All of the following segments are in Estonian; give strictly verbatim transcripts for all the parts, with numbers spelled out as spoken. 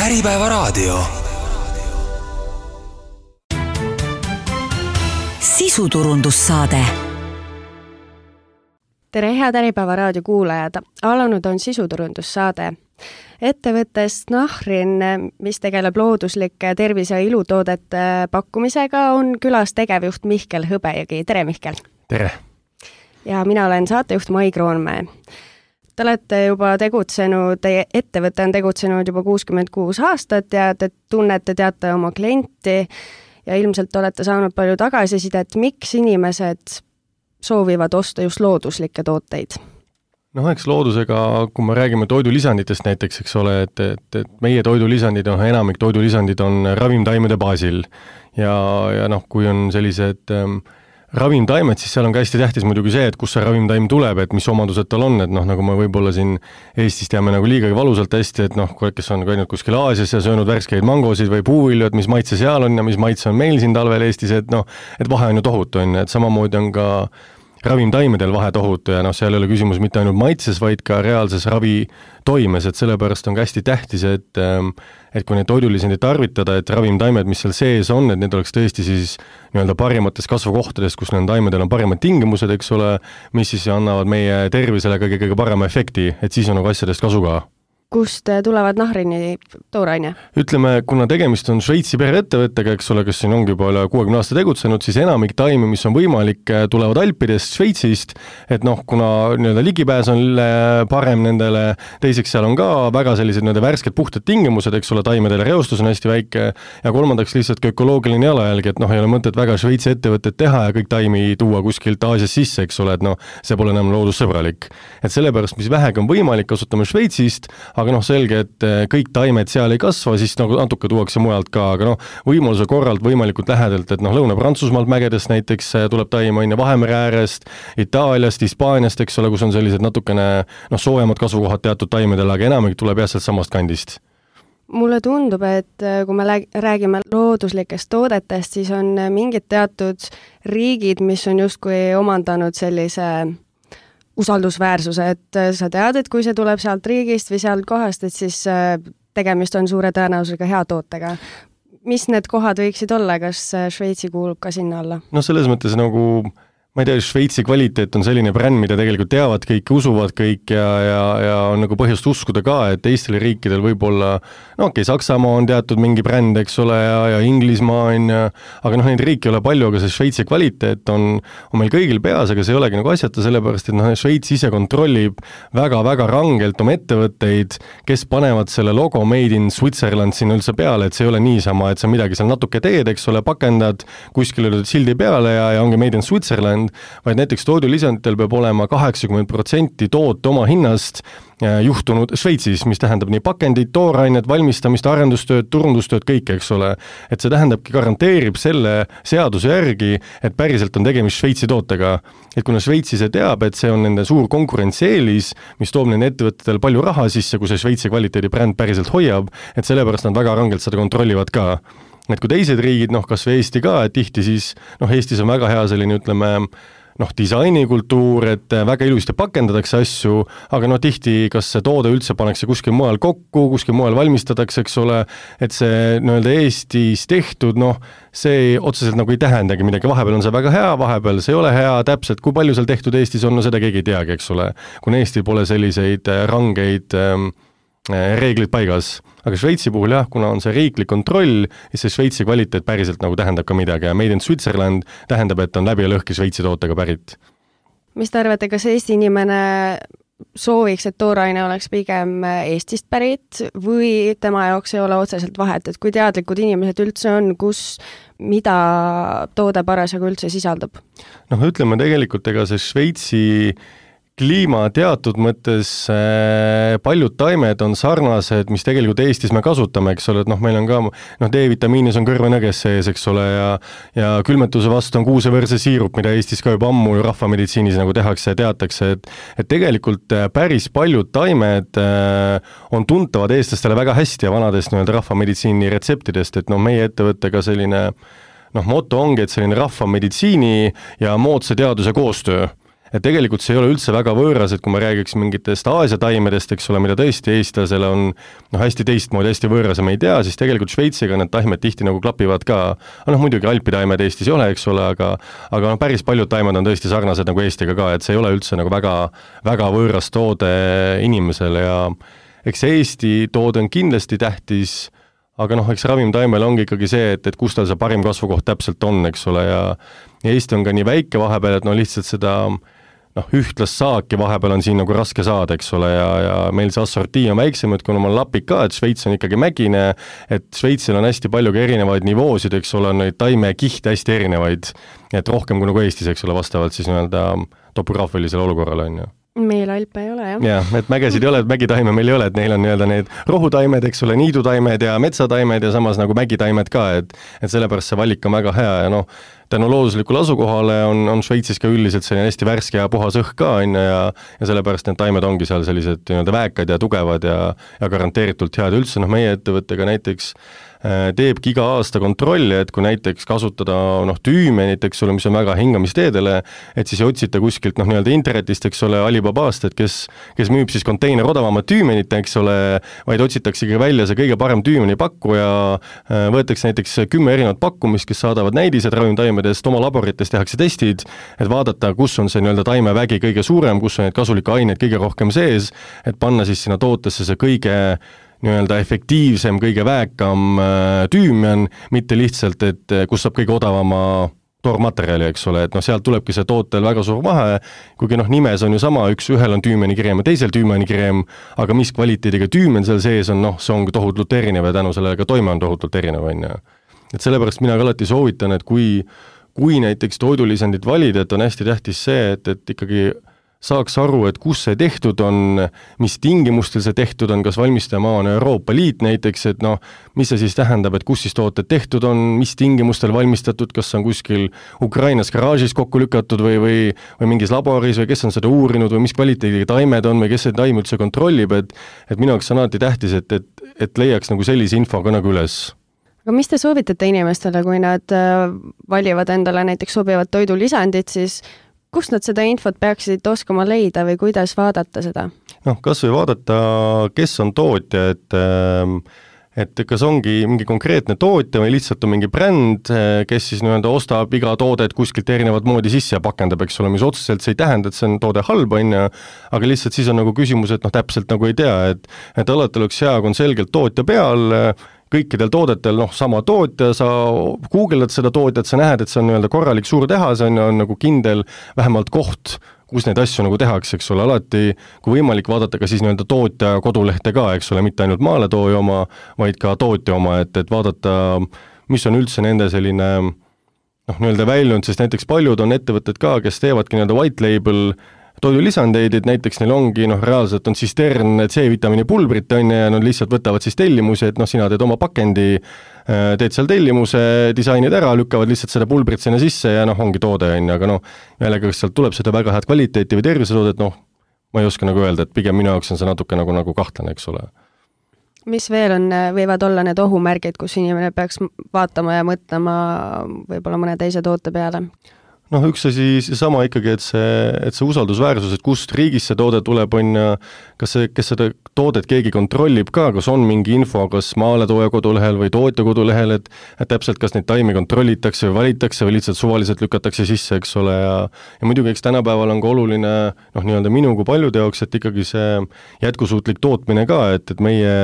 Äripäevaraadio. Sisuturundussaade. Tere, head Äripäevaraadio kuulajad! Alanud on sisuturundussaade. Ettevõttest Nahrin, mis tegeleb looduslike tervise- ja ilutoodete pakkumisega, on külas tegevjuht Mihkel Hõbejõgi. Tere, Mihkel! Tere! Ja mina olen saatejuht Mai Kroonmäe. Te olete juba tegutsenud, teie ettevõte on tegutsenud juba kuuskümmend kuus aastat ja te tunnete, teate oma klienti ja ilmselt olete saanud palju tagasisidet, miks inimesed soovivad osta just looduslikke tooteid. Noh, eks loodusega, kui me räägime toidulisanditest näiteks, eks ole, et, et, et meie toidulisandid, noh, enamik toidulisandid on ravimtaimede baasil ja, ja noh, kui on sellised ähm, ravimtaimed, siis seal on ka hästi tähtis muidugi see, et kus see ravimtaim tuleb, et mis omadused tal on, et noh, nagu me võib-olla siin Eestis teame nagu liigagi valusalt hästi, et noh, kes on käinud kuskil Aasias ja söönud värskeid mangosid või puuvilju, et mis maitse seal on ja mis maitse on meil siin talvel Eestis, et noh, et vahe on ju tohutu, on, et samamoodi on ka ravimtaimedel vahe tohutu ja noh, seal ei ole küsimus mitte ainult maitses, vaid ka reaalses ravi toimes, et sellepärast on ka hästi tähtis, et et kui neid toidulisandid tarvitada, et ravimtaimed, mis seal sees on, et need oleks tõesti siis nii-öelda parimates kasvukohtades, kus nende taimedel on parimad tingimused, eks ole, mis siis annavad meie tervisele ka kõige parema efekti, et siis on nagu asjadest kasu ka. Kust tulevad Nahrini tooraine? Ütleme, kuna tegemist on Šveitsi pereettevõttega, eks ole, kes siin ongi juba üle kuuekümne aasta tegutsenud, siis enamik taimi, mis on võimalik, tulevad Alpidest, Šveitsist, et noh, kuna nii-öelda ligipääs on parem nendele, teiseks seal on ka väga sellised nii-öelda värsked puhtad tingimused, eks ole, taimedele reostus on hästi väike ja kolmandaks lihtsalt ka ökoloogiline jalajälg, et noh, ei ole mõtet väga Šveitsi ettevõtted teha ja kõik taimi tuua kuskilt Aasias sisse, eks ole, et noh, see pole enam loodussõbralik. Et sellepärast, mis vähegi on võimalik, kasutame Šveitsist, aga noh, selge, et kõik taimed seal ei kasva, siis nagu natuke tuuakse mujalt ka, aga noh, võimaluse korralt võimalikult lähedalt, et noh, Lõuna-Prantsusmaalt mägedest näiteks tuleb taim aine Vahemere äärest, Itaaliast, Hispaaniast, eks ole, kus on sellised natukene noh, soojemad kasvukohad teatud taimedel, aga enamik tuleb jah sealt samast kandist. Mulle tundub, et kui me räägime looduslikest toodetest, siis on mingid teatud riigid, mis on justkui omandanud sellise usaldusväärsuse, et sa tead, et kui see tuleb sealt riigist või sealt kohast, et siis tegemist on suure tõenäosusega hea tootega. Mis need kohad võiksid olla, kas Šveitsi kuulub ka sinna alla? No selles mõttes nagu, ma ei tea, Šveitsi kvaliteet on selline bränd, mida tegelikult teavad kõik, usuvad kõik ja, ja, ja on nagu põhjust uskuda ka, et teistel riikidel võib-olla, no okei, okay, Saksamaa on teatud mingi bränd, eks ole, ja, ja Inglismaa on ja, aga noh, neid riiki ei ole palju, aga see Šveitsi kvaliteet on, on meil kõigil peas, aga see ei olegi nagu asjata, sellepärast, et noh, Šveits ise kontrollib väga-väga rangelt oma ettevõtteid, kes panevad selle logo Made in Switzerland sinna üldse peale, et see ei ole niisama, et sa midagi seal natuke teed, eks ole, pakendad, kuskil lööd sildi peale ja, ja ongi Made in Switzerland, vaid näiteks toidulisanditel peab olema kaheksakümmend protsenti toote oma hinnast juhtunud Šveitsis, mis tähendab nii pakendid, toorainet, valmistamist, arendustööd, turundustööd, kõik, eks ole. Et see tähendabki, garanteerib selle seaduse järgi, et päriselt on tegemist Šveitsi tootega. Et kuna Šveitsi see teab, et see on nende suur konkurentsieelis, mis toob nende ettevõtetel palju raha sisse, kui see Šveitsi kvaliteedi bränd päriselt hoiab, et sellepärast nad väga rangelt seda kontrollivad ka. Et kui teised riigid, noh, kas või Eesti ka, et tihti siis, noh, Eestis on väga hea selline, ütleme, noh, disainikultuur, et väga ilusti pakendatakse asju, aga noh, tihti kas see toode üldse pannakse kuskil mujal kokku, kuskil mujal valmistatakse, eks ole, et see nii-öelda Eestis tehtud, noh, see otseselt nagu ei tähendagi midagi, vahepeal on see väga hea, vahepeal see ei ole hea, täpselt kui palju seal tehtud Eestis on, no seda keegi ei teagi, eks ole, kuna Eestil pole selliseid rangeid ähm, reeglid paigas. Aga Šveitsi puhul jah, kuna on see riiklik kontroll, siis see Šveitsi kvaliteet päriselt nagu tähendab ka midagi ja Made in Switzerland tähendab, et on läbi ja lõhki Šveitsi tootega pärit. Mis te arvate, kas Eesti inimene sooviks, et tooraine oleks pigem Eestist pärit või tema jaoks ei ole otseselt vahet, et kui teadlikud inimesed üldse on, kus mida toode parasjagu üldse sisaldab? Noh, ütleme tegelikult, ega see Šveitsi kliima teatud mõttes äh, paljud taimed on sarnased, mis tegelikult Eestis me kasutame, eks ole, et noh, meil on ka, noh, D-vitamiinis on kõrvenõges sees, eks ole, ja, ja külmetuse vastu on kuusevõrse siirup, mida Eestis ka juba ammu rahvameditsiinis nagu tehakse ja teatakse, et, et tegelikult päris paljud taimed äh, on tuntavad eestlastele väga hästi ja vanadest nii-öelda rahvameditsiini retseptidest, et noh, meie ettevõttega selline, noh, moto ongi, et selline rahvameditsiini ja moodsa teaduse koostöö. et tegelikult see ei ole üldse väga võõras, et kui ma räägiks mingitest Aasia taimedest, eks ole, mida tõesti eestlasele on noh, hästi teistmoodi, hästi võõras ja me ei tea, siis tegelikult Šveitsiga need taimed tihti nagu klapivad ka. noh, muidugi alpitaimed Eestis ei ole, eks ole, aga aga noh, päris paljud taimed on tõesti sarnased nagu Eestiga ka, et see ei ole üldse nagu väga, väga võõras toode inimesele ja eks see Eesti toode on kindlasti tähtis, aga noh, eks ravimtaimel ongi ikkagi see, et, et kus tal see parim kasvukoht täpselt on, eks ole, ja, ja Eesti on ka nii väike vahepeal, et no lihtsalt seda noh, ühtlast saaki vahepeal on siin nagu raske saada, eks ole, ja, ja meil see assortii on väiksem, et kuna ma olen lapik ka, et Šveits on ikkagi mägine, et Šveitsil on hästi palju ka erinevaid nivoosid, eks ole, neid taimekihte hästi erinevaid, et rohkem kui nagu Eestis, eks ole, vastavalt siis nii-öelda topograafilisele olukorrale on ju. Meil alpe ei ole, jah. jah, et mägesid ei ole, et mägitaime meil ei ole, et neil on nii-öelda need rohutaimed, eks ole, niidutaimed ja metsataimed ja samas nagu mägitaimed ka, et et sellepärast see valik on väga hea ja noh, tänu looduslikule asukohale on, on Šveitsis ka üldiselt selline hästi värske ja puhas õhk ka, on ja, ja sellepärast need taimed ongi seal sellised nii-öelda väekad ja tugevad ja, ja garanteeritult head. Üldse noh, meie ettevõttega näiteks teebki iga aasta kontrolli, et kui näiteks kasutada noh, tüümenit, eks ole, mis on väga hingamisteedele, et siis otsita kuskilt noh, nii-öelda internetist, eks ole, Alibabast, et kes, kes müüb siis konteiner odavamat tüümenit, eks ole, vaid otsitakse ikka välja see kõige parem tüümeni pakkuja, võetakse näiteks kümme erinevat pakkumist, kes saadavad näidised ravimtaimedest, oma laborites tehakse testid, et vaadata, kus on see nii-öelda taimevägi kõige suurem, kus on neid kasulikke aineid kõige rohkem sees, et panna siis sinna tootesse see kõige nii-öelda efektiivsem, kõige väekam tüümen, mitte lihtsalt, et kus saab kõige odavama toormaterjali, eks ole, et noh, sealt tulebki see tootel väga suur vahe, kuigi noh, nimes on ju sama, üks ühel on tüümenikreem ja teisel tüümenikreem, aga mis kvaliteediga tüümen seal sees on, noh, see on tohutult erinev ja tänu sellele ka toime on tohutult erinev, on ju. Et sellepärast mina ka alati soovitan, et kui, kui näiteks toidulisandit valida, et on hästi tähtis see, et, et ikkagi saaks aru, et kus see tehtud on, mis tingimustel see tehtud on, kas valmistajamaa on Euroopa Liit näiteks, et noh, mis see siis tähendab, et kus siis tooted tehtud on, mis tingimustel valmistatud, kas on kuskil Ukrainas garaažis kokku lükatud või, või, või mingis laboris või kes on seda uurinud või mis kvaliteediga taimed on või kes see taim üldse kontrollib, et, et minu jaoks on alati tähtis, et, et, et leiaks nagu sellise info ka nagu üles. Aga mis te soovitate inimestele, kui nad valivad endale näiteks sobivad toidulisandid, siis kust nad seda infot peaksid oskama leida või kuidas vaadata seda? noh, kas või vaadata, kes on tootja, et et kas ongi mingi konkreetne tootja või lihtsalt on mingi bränd, kes siis nii-öelda ostab iga toodet kuskilt erinevat moodi sisse ja pakendab, eks ole, mis otseselt see ei tähenda, et see on toode halb, on ju, aga lihtsalt siis on nagu küsimus, et noh, täpselt nagu ei tea, et et alati oleks hea, kui on selgelt tootja peal, kõikidel toodetel, noh, sama tootja, sa guugeldad seda tootjat, sa näed, et see on nii-öelda korralik suur tehas, on, on nagu kindel vähemalt koht, kus neid asju nagu tehakse, eks ole, alati kui võimalik vaadata ka siis nii-öelda tootja kodulehte ka, eks ole, mitte ainult maaletooja oma, vaid ka tootja oma, et, et vaadata, mis on üldse nende selline noh, nii-öelda väljund, sest näiteks paljud on ettevõtted ka, kes teevadki nii-öelda white label toidulisandeid, et näiteks neil ongi, noh, reaalselt on sistern C-vitamiini pulbrit, on ja nad lihtsalt võtavad siis tellimuse, et noh, sina teed oma pakendi, teed seal tellimuse, disainid ära, lükkavad lihtsalt seda pulbrit sinna sisse ja noh, ongi toode, on, aga noh, jällegi, kas sealt tuleb seda väga head kvaliteeti või tervisetoodet, noh, ma ei oska nagu öelda, et pigem minu jaoks on see natuke nagu, nagu kahtlane, eks ole. Mis veel on, võivad olla need ohumärgid, kus inimene peaks vaatama ja mõtlema võib-olla mõne teise toote peale? noh, üks asi sama ikkagi, et see, et see usaldusväärsus, et kust riigis see toode tuleb, on ja kas see, kes seda toodet keegi kontrollib ka, kas on mingi info, kas maaletooja kodulehel või tootja kodulehel, et, et täpselt, kas neid taimi kontrollitakse või valitakse või lihtsalt suvaliselt lükatakse sisse, eks ole, ja, ja muidugi, eks tänapäeval on ka oluline, noh, nii-öelda minu kui paljude jaoks, et ikkagi see jätkusuutlik tootmine ka, et, et meie,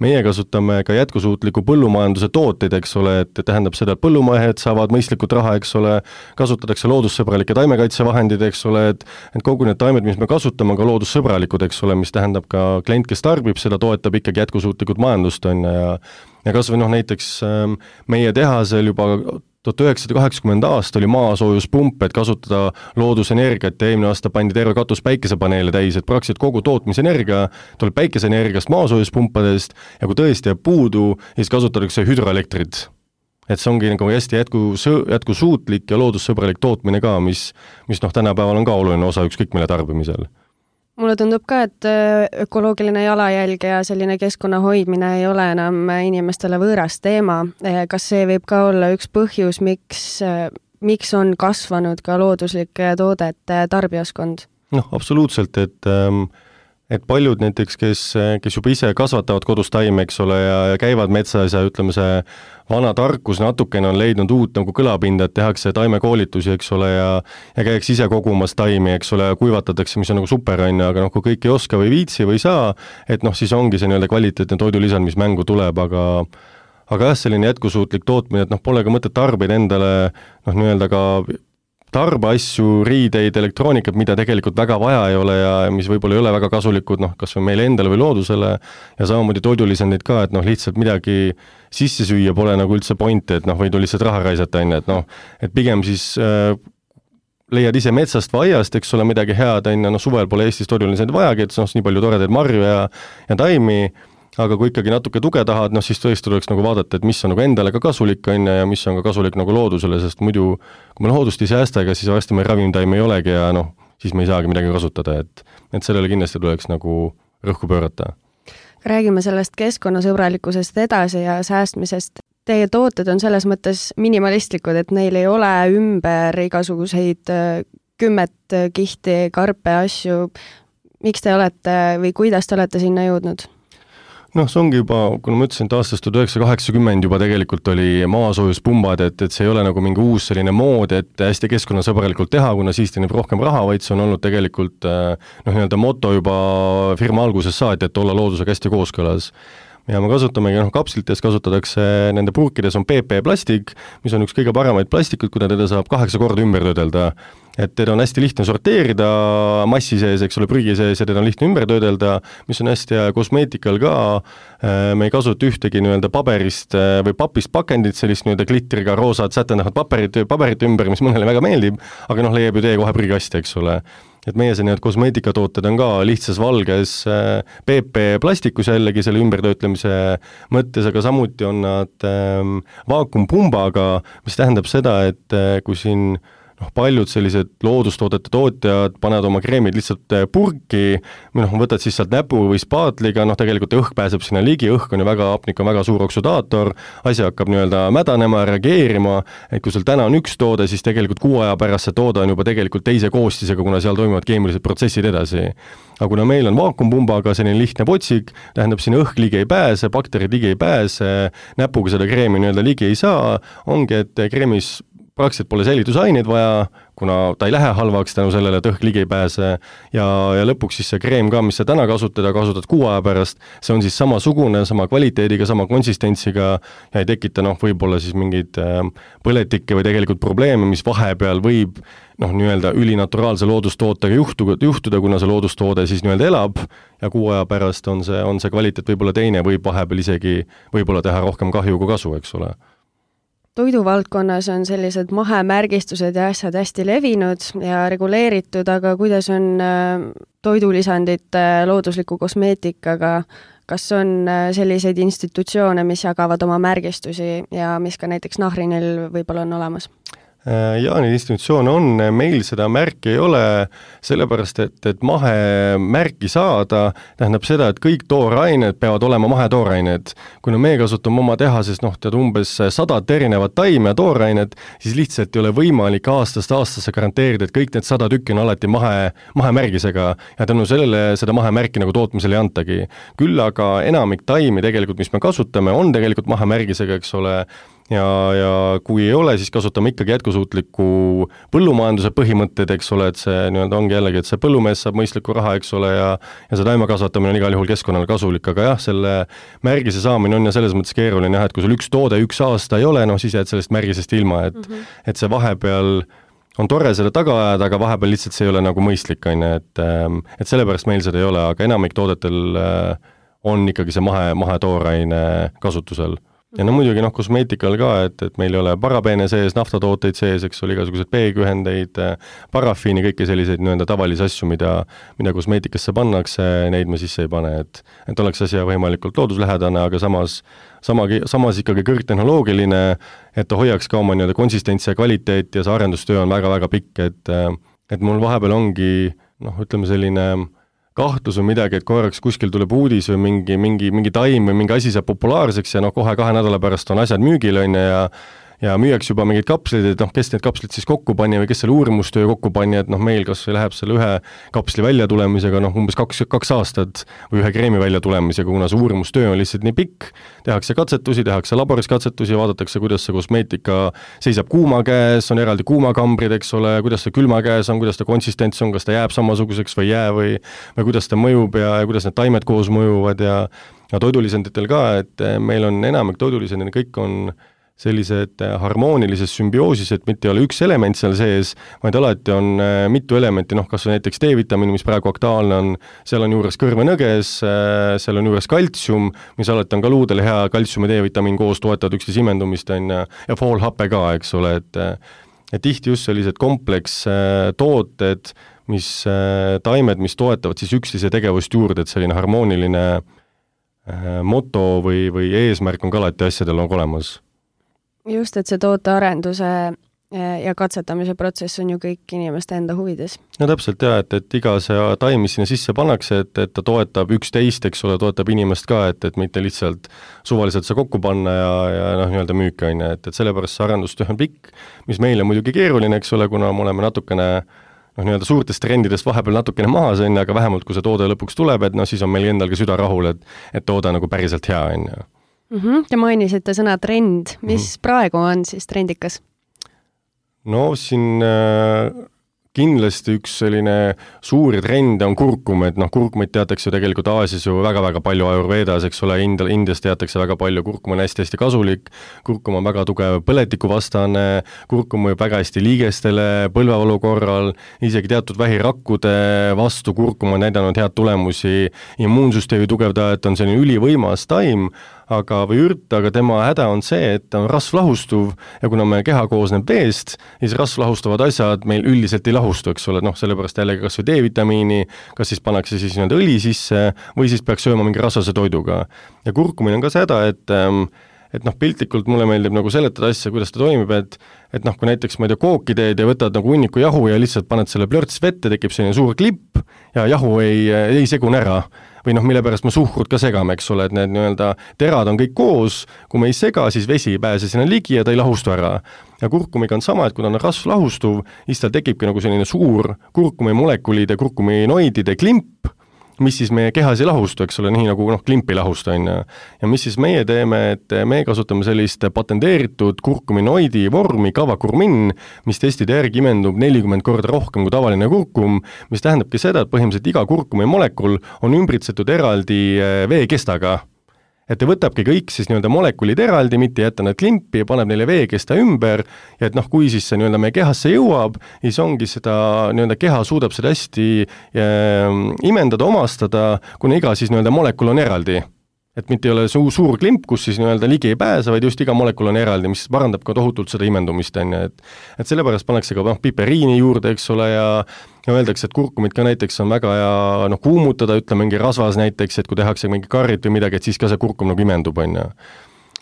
meie kasutame ka jätkusuutliku põllumajanduse tooteid, eks ole, et tähendab seda, et põllumehed saavad mõistlikult raha, eks ole, kasutatakse loodussõbralikke taimekaitsevahendid, eks ole, et, et kogu need taimed, mis me kasutame, on ka loodussõbralikud, eks ole, mis tähendab ka klient, kes tarbib, seda toetab ikkagi jätkusuutlikud majandust, on ja, ja kas või noh, näiteks meie tehasel juba tuhat üheksasada kaheksakümmend aasta oli maasoojuspump, et kasutada loodusenergiat ja eelmine aasta pandi terve katus päikesepaneele täis, et praktiliselt kogu tootmisenergia tuleb päikeseenergiast maasoojuspumpadest ja kui tõesti jääb puudu, siis kasutatakse hüdroelektrit. Et see ongi nagu hästi jätku, jätkusuutlik ja loodussõbralik tootmine ka, mis, mis noh, tänapäeval on ka oluline osa ükskõik mille tarbimisel. Mulle tundub ka, et ökoloogiline jalajälg ja selline keskkonna hoidmine ei ole enam inimestele võõras teema. Kas see võib ka olla üks põhjus, miks miks on kasvanud ka looduslike toodete tarbijaskond? Noh, absoluutselt, et et paljud näiteks, kes, kes juba ise kasvatavad kodus taime, eks ole, ja, ja käivad metsas ja ütleme, see vana tarkus natukene on leidnud uut nagu kõlapinda, et tehakse taimekoolitusi, eks ole, ja, ja käiks ise kogumas taimi, eks ole, ja kuivatatakse, mis on nagu super, on, aga noh, kui kõik ei oska või viitsi või saa, et noh, siis ongi see nii-öelda kvaliteetne toidulisand, mis mängu tuleb, aga aga jah, selline jätkusuutlik tootmine, et noh, pole ka mõtet tarbida endale noh, nii-öelda ka tarbeasju, riideid, elektroonikat, mida tegelikult väga vaja ei ole ja mis võib-olla ei ole väga kasulikud, noh, kas või meile endale või loodusele ja samamoodi toidulisandid ka, et noh, lihtsalt midagi sisse süüa pole nagu üldse pointi, et noh, võid lihtsalt raha raisata, on, et noh, et pigem siis äh, leiad ise metsast või aiast, eks ole, midagi head, on, noh, suvel pole Eestis toidulisandid vajagi, et noh, nii palju toredaid marju ja, ja taimi, aga kui ikkagi natuke tuge tahad, noh siis tõesti tuleks nagu vaadata, et mis on nagu endale ka kasulik on ja mis on ka kasulik nagu loodusele, sest muidu kui me loodust ei säästa, ega siis varsti meil ravimtaime ei olegi ja noh, siis me ei saagi midagi kasutada, et, et sellele kindlasti tuleks nagu rõhku pöörata. Räägime sellest keskkonnasõbralikkusest edasi ja säästmisest. Teie tooted on selles mõttes minimalistlikud, et neil ei ole ümber igasuguseid kümmet kihti, karpe, asju. Miks te olete või kuidas te olete sinna jõudnud? Noh, see ongi juba, kuna ma ütlesin, et aastast tuhat üheksasada kaheksakümmend juba tegelikult oli maasoojuspumbad, et, et see ei ole nagu mingi uus selline mood, et hästi keskkonnasõbralikult teha, kuna siis teenib rohkem raha, vaid see on olnud tegelikult noh, nii-öelda moto juba firma alguses saati, et olla loodusega hästi kooskõlas. Ja me kasutamegi, noh, kapslites kasutatakse, nende purkides on P P plastik, mis on üks kõige paremaid plastikud, kuna teda saab kaheksa korda ümber töödelda. Et teda on hästi lihtne sorteerida massi sees, eks ole, prügi sees ja teda on lihtne ümber töödelda, mis on hästi kosmeetikal ka. Me ei kasuta ühtegi nii-öelda paberist või papist pakendit, sellist nii-öelda glitteriga roosad sätendavat paberit, paberit ümber, mis mõnele väga meeldib, aga noh, leiab ju tee kohe prügikasti, eks ole. Et meie see need kosmeetikatooted on ka lihtsas valges P P plastikus jällegi selle ümbertöötlemise mõttes, aga samuti on nad ähm, vaakumpumbaga, mis tähendab seda, et kui siin noh, paljud sellised loodustoodete tootjad panevad oma kreemid lihtsalt purki, või noh, võtad siis sealt näpu või spaatliga, noh tegelikult õhk pääseb sinna ligi, õhk on ju väga, hapnik on väga suur oksudaator, asi hakkab nii-öelda mädanema, reageerima, et kui sul täna on üks toode, siis tegelikult kuu aja pärast see toode on juba tegelikult teise koostisega, kuna seal toimuvad keemilised protsessid edasi. Aga kuna meil on vaakumpumbaga selline lihtne potsik, tähendab siin õhk ligi ei pääse, bakterid ligi ei pääse, näpuga seda kreemi nii-öelda ligi ei saa, ongi, et kreemis praktiliselt pole säilitusaineid vaja, kuna ta ei lähe halvaks tänu sellele, et õhk ligi ei pääse ja, ja lõpuks siis see kreem ka, mis sa täna kasutada, kasutad kuu aja pärast, see on siis samasugune, sama kvaliteediga, sama konsistentsiga ja ei tekita noh, võib-olla siis mingeid põletikke või tegelikult probleeme, mis vahepeal võib noh, nii-öelda ülinaturaalse loodustootega juhtuda, juhtuda, kuna see loodustoode siis nii-öelda elab ja kuu aja pärast on see, on see kvaliteet võib-olla teine, võib vahepeal isegi võib-olla teha rohkem kahju kui kasu, eks ole. Toiduvaldkonnas on sellised mahemärgistused ja asjad hästi levinud ja reguleeritud, aga kuidas on toidulisandite loodusliku kosmeetikaga, kas on selliseid institutsioone, mis jagavad oma märgistusi ja mis ka näiteks Nahrinil võib-olla on olemas? Ja neid institutsioone on, meil seda märki ei ole, sellepärast, et, et mahemärki saada tähendab seda, et kõik toorained peavad olema mahetoorained. Kuna me kasutame oma tehases noh, tead umbes sadat erinevat taime ja toorainet, siis lihtsalt ei ole võimalik aastast aastasse garanteerida, et kõik need sada tükki on alati mahe, mahemärgisega ja tänu sellele seda mahemärki nagu tootmisel ei antagi. Küll aga enamik taimi tegelikult, mis me kasutame, on tegelikult mahemärgisega, eks ole, ja, ja kui ei ole, siis kasutame ikkagi jätkusuutliku põllumajanduse põhimõtted, eks ole, et see nii-öelda ongi jällegi, et see põllumees saab mõistliku raha, eks ole, ja, ja see taime kasvatamine on igal juhul keskkonnale kasulik, aga jah, selle märgise saamine on ja selles mõttes keeruline, jah, et kui sul üks toode üks aasta ei ole, noh siis jääd sellest märgisest ilma, et, mm -hmm. et see vahepeal on tore selle taga ajada, aga vahepeal lihtsalt see ei ole nagu mõistlik, on, et, et sellepärast meil seda ei ole, aga enamik toodetel on ikkagi see mahe, mahetooraine kasutusel. Ja no muidugi noh, kosmeetikal ka, et, et meil ei ole parabeene sees, naftatooteid sees, eks ole, igasugused peegühendeid, parafiini, kõiki selliseid nii-öelda tavalisi asju, mida, mida kosmeetikasse pannakse, neid me sisse ei pane, et, et oleks asi võimalikult looduslähedane, aga samas, sama, samas ikkagi kõrgtehnoloogiline, et ta hoiaks ka oma nii-öelda konsistentsi ja kvaliteet ja see arendustöö on väga-väga pikk, et, et mul vahepeal ongi, noh, ütleme selline kahtlus või midagi, et korraks kuskil tuleb uudis või mingi, mingi, mingi taim või mingi asi saab populaarseks ja noh, kohe kahe nädala pärast on asjad müügil on ja ja müüaks juba mingeid kapsleid, et noh, kes need kapslid siis kokku pani või kes selle uurimustöö kokku pani, et noh, meil kas või läheb selle ühe kapsli välja tulemisega noh, umbes kaks, kaks aastat või ühe kreemi välja tulemisega, kuna see uurimustöö on lihtsalt nii pikk, tehakse katsetusi, tehakse laboris katsetusi, vaadatakse, kuidas see kosmeetika seisab kuuma käes, on eraldi kuumakambrid, eks ole, kuidas ta külma käes on, kuidas ta konsistents on, kas ta jääb samasuguseks või jää või, või kuidas ta mõjub ja, ja kuidas need taimed koos mõjuvad ja, ja toidulisenditel ka, et meil on enamik toidulisendid, kõik on sellised harmoonilises sümbioosis, et mitte ei ole üks element seal sees, vaid alati on mitu elementi, noh kas või näiteks D-vitamiin, mis praegu aktuaalne on, seal on juures kõrvenõges, seal on juures kaltsium, mis alati on ka luudele hea, kaltsium ja D-vitamiin koos toetavad üksteise imendumist, on ja foolhappe ka, eks ole, et et tihti just sellised kompleks tooted, mis taimed, mis toetavad siis üksteise tegevust juurde, et selline harmooniline moto või, või eesmärk on ka alati asjadel nagu olemas. Just, et see tootearenduse ja katsetamise protsess on ju kõik inimeste enda huvides. No täpselt jah, et, et iga see taim, mis sinna sisse pannakse, et, et ta toetab üksteist, eks ole, toetab inimest ka, et, et mitte lihtsalt suvaliselt see kokku panna ja, ja noh, nii-öelda müüki on, et, et sellepärast see arendustöö on pikk, mis meil on muidugi keeruline, eks ole, kuna me oleme natukene noh, nii-öelda suurtest trendidest vahepeal natukene maha see, aga vähemalt kui see toode lõpuks tuleb, et noh, siis on meil endal ka süda rahul, et, et toode nagu päriselt hea on. Mm-hmm. Te mainisite sõna trend, mis mm-hmm. praegu on siis trendikas? No siin äh, kindlasti üks selline suuri trende on kurkum, et noh, kurkumit teatakse ju tegelikult Aasias ju väga-väga palju Ayurvedas, eks ole, India, Indias teatakse väga palju, kurkum on hästi-hästi kasulik, kurkum on väga tugev põletikuvastane, kurkum mõjub väga hästi liigestele, põlvevalu korral, isegi teatud vähirakkude vastu kurkum on näidanud head tulemusi, immuunsüsteemi tugevdajat on selline ülivõimas taim, aga või ürt, aga tema häda on see, et ta on rasvlahustuv ja kuna meie keha koosneb veest, siis rasvlahustavad asjad meil üldiselt ei lahustu, eks ole, noh, sellepärast jällegi kas või D-vitamiini, kas siis pannakse siis nii-öelda õli sisse või siis peaks sööma mingi rasvase toiduga. Ja kurkumine on ka see häda, et et noh, piltlikult mulle meeldib nagu seletada asja, kuidas ta toimib, et et noh, kui näiteks, ma ei tea, kooki teed ja võtad nagu hunniku jahu ja lihtsalt paned selle plörts vette, tekib selline suur klipp ja jahu ei, ei segune ära. Või noh, mille pärast me suhkrut ka segame, eks ole, et need nii-öelda terad on kõik koos, kui me ei sega, siis vesi ei pääse sinna ligi ja ta ei lahustu ära. Ja kurkumiga on sama, et kui ta on rasv lahustuv, siis tal tekibki nagu selline suur kurkumi molekulide, kurkuminoidide klimp, mis siis meie kehas ei lahustu, eks ole, nii nagu noh, klimp ei lahustu, on. Ja mis siis meie teeme, et me kasutame sellist patenteeritud kurkuminoidi vormi kavakurmin, mis testide järgi imendub nelikümmend korda rohkem kui tavaline kurkum, mis tähendabki seda, et põhimõtteliselt iga kurkumi molekul on ümbritsetud eraldi veekestaga. Et ta võtabki kõik siis nii-öelda molekulid eraldi, mitte jätta nad klimpi ja paneb neile veekesta ümber ja et noh, kui siis see nii-öelda meie kehasse jõuab, siis ongi seda nii-öelda keha suudab seda hästi äh, imendada, omastada, kuna iga siis nii-öelda molekul on eraldi. Et mitte ei ole suur, suur klimp, kus siis nii-öelda ligi ei pääse, vaid just iga molekul on eraldi, mis parandab ka tohutult seda imendumist, et, et sellepärast pannakse ka noh, piperiini juurde, eks ole, ja ja öeldakse, et kurkumit ka näiteks on väga hea noh, kuumutada, ütleme mingi rasvas näiteks, et kui tehakse mingi karrit või midagi, et siis ka see kurkum nagu imendub, on.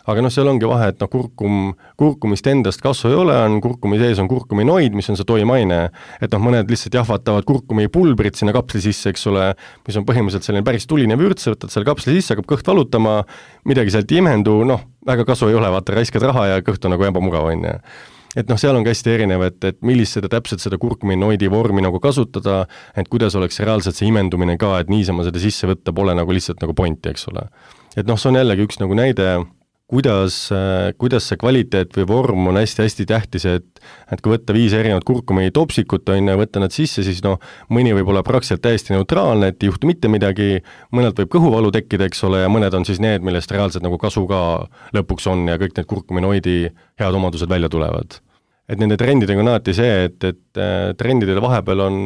Aga noh, seal ongi vahe, et noh, kurkum, kurkumist endast kasvu ei ole, on kurkumi sees on kurkuminoid, mis on see toimaine, et noh, mõned lihtsalt jahvatavad kurkumi pulbrit sinna kapsli sisse, eks ole, mis on põhimõtteliselt selline päris tuline vürts, võtad selle kapsli sisse, hakkab kõht valutama, midagi sealt ei imendu, noh, väga kasu ei ole, vaata, raiskad raha ja kõht on nagu ebamugav, on. Et noh, seal on ka hästi erinev, et, et millist seda täpselt seda kurkuminoidi vormi nagu kasutada, et kuidas oleks reaalselt see imendumine ka, et niisama seda sisse võtta pole nagu lihtsalt nagu pointi, eks ole. Et noh, see on jällegi üks nagu näide, kuidas, kuidas see kvaliteet või vorm on hästi-hästi tähtis, et, et kui võtta viis erinevat kurkumi topsikut, on, võtta nad sisse, siis noh, mõni võib olla praktiliselt täiesti neutraalne, et ei juhtu mitte midagi, mõnelt võib kõhuvalu tekkida, eks ole, ja mõned on siis need, millest reaalselt nagu kasu ka lõpuks on ja kõik need kurkuminoidi head omadused välja tulevad. Et nende trendidega on alati see, et, et trendidele vahepeal on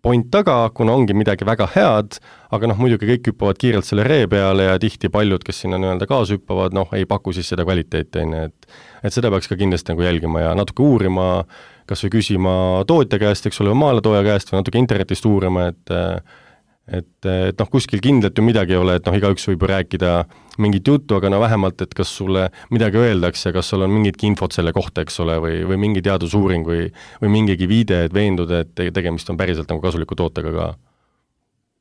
point taga, kuna ongi midagi väga head, aga noh, muidugi kõik hüppavad kiirelt selle ree peale ja tihti paljud, kes sinna nii-öelda kaasa hüppavad, noh, ei paku siis seda kvaliteeti, et, et seda peaks ka kindlasti nagu jälgima ja natuke uurima, kas või küsima tootja käest, eks ole, maaletooja käest või natuke internetist uurima, et et, et noh, kuskil kindlalt ju midagi ei ole, et noh, igaüks võib ju rääkida mingit juttu, aga no vähemalt, et kas sulle midagi öeldakse, kas sul on mingitki infot selle kohta, eks ole, või, või mingi teadusuuring või, või mingigi viide, et veenduda, et tegemist on päriselt nagu kasuliku tootega ka.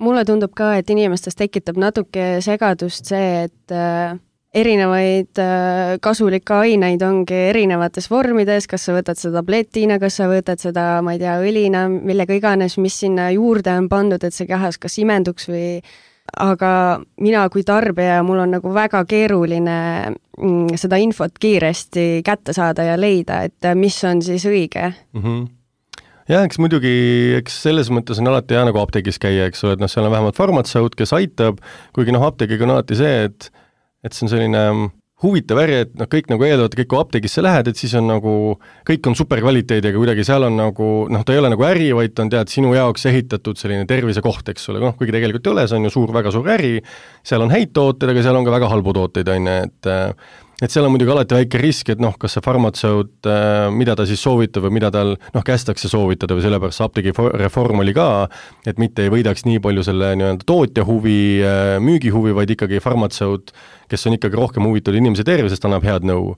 Mulle tundub ka, et inimestes tekitab natuke segadust see, et erinevaid kasulikke aineid ongi erinevates vormides, kas sa võtad seda tabletina, kas sa võtad seda, ma ei tea, õlina, millega iganes, mis sinna juurde on pandud, et see kehas kas imenduks või aga mina kui tarbija, mul on nagu väga keeruline seda infot kiiresti kätte saada ja leida, et mis on siis õige. Mm-hmm. Jah, eks muidugi, eks selles mõttes on alati hea nagu apteegis käia, eks ole, et noh, seal on vähemalt farmatseut, kes aitab, kuigi noh, apteegiga on alati see, et et see on selline huvitav äri, et noh, kõik nagu eeldavad, kõik kui apteegisse lähed, et siis on nagu, kõik on superkvaliteediga kuidagi, seal on nagu, noh, ta ei ole nagu äri, vaid ta on tead sinu jaoks ehitatud selline tervisekoht, eks ole, noh, kuigi tegelikult ei ole, see on ju suur, väga suur äri, seal on häid tooteid, aga seal on ka väga halbu tooteid, on ju, et et seal on muidugi alati väike risk, et noh, kas see farmatseut, mida ta siis soovitab või mida tal noh, kästakse soovitada või sellepärast apteegi reform oli ka, et mitte ei võidaks nii palju selle nii-öelda tootja huvi, müügi huvi, vaid ikkagi farmatseut, kes on ikkagi rohkem huvitatud inimese tervisest, annab head nõu.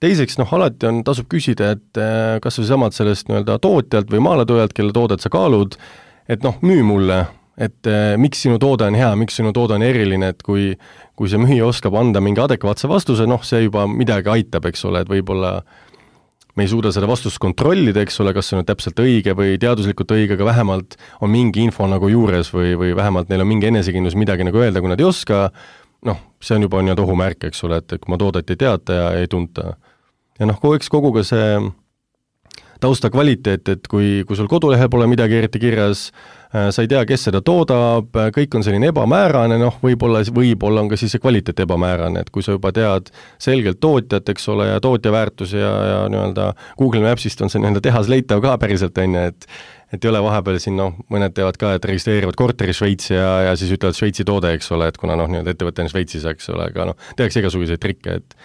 Teiseks, noh, alati on, tasub küsida, et kas või samad sellest nii-öelda tootjalt või maaletujalt, kelle toodet sa kaalud, et noh, müü mulle, et eh, miks sinu toode on hea, miks sinu toode on eriline, et kui, kui see müüja oskab anda mingi adekvaatse vastuse, noh, see juba midagi aitab, eks ole, et võib-olla me ei suuda seda vastust kontrollida, eks ole, kas see on täpselt õige või teaduslikult õige, aga vähemalt on mingi info nagu juures või, või vähemalt neil on mingi enesekindlus midagi nagu öelda, kui nad ei oska, noh, see on juba nii-öelda ohumärk, eks ole, et kui ma toodet ei teata ja ei tunta. Ja noh, eks kogu ka see tausta kvaliteet, et kui, kui sul kodulehel pole midagi eriti kirjas, sa ei tea, kes seda toodab, kõik on selline ebamäärane, noh, võib-olla, võib-olla on ka siis see kvaliteet ebamäärane, et kui sa juba tead selgelt tootjat, eks ole, ja tootja väärtus ja, ja nii-öelda Google Mapsist on see nii-öelda tehas leitav ka päriselt, on ju, et et ei ole vahepeal siin, noh, mõned teevad ka, et registreerivad korteri Šveitsi ja, ja siis ütlevad Šveitsi toode, eks ole, et kuna noh, nii-öelda ettevõte on Šveitsis, eks ole, aga noh, tehakse igasuguseid trikke, et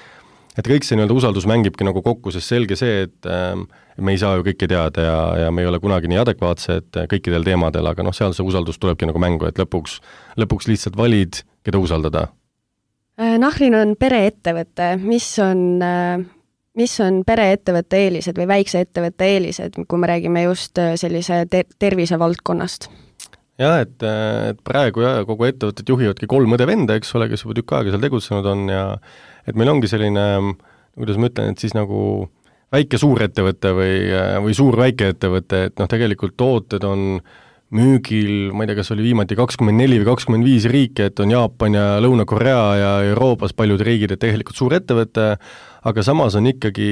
et kõik see nii-öelda usaldus mängibki nagu kokku, sest selge see, et ähm, me ei saa ju kõike teada ja, ja me ei ole kunagi nii adekvaatsed kõikidel teemadel, aga noh, seal see usaldus tulebki nagu mängu, et lõpuks, lõpuks lihtsalt valid, keda usaldada. Nahrin on pereettevõte, mis on, mis on pereettevõtte eelised või väikse ettevõtte eelised, kui me räägime just sellise ter- tervisevaldkonnast? Jah, et, et praegu ja kogu ettevõtted juhivadki kolm õde-venda, eks ole, kes juba tükk aega seal tegutsenud on ja et meil ongi selline, kuidas ma ütlen, et siis nagu väike suurettevõte või, või suur väikeettevõte, et noh, tegelikult tooted on müügil, ma ei tea, kas oli viimati kakskümmend neli või kakskümmend viis riike, et on Jaapan ja Lõuna-Korea ja Euroopas paljud riigid, et tegelikult suur ettevõte, aga samas on ikkagi,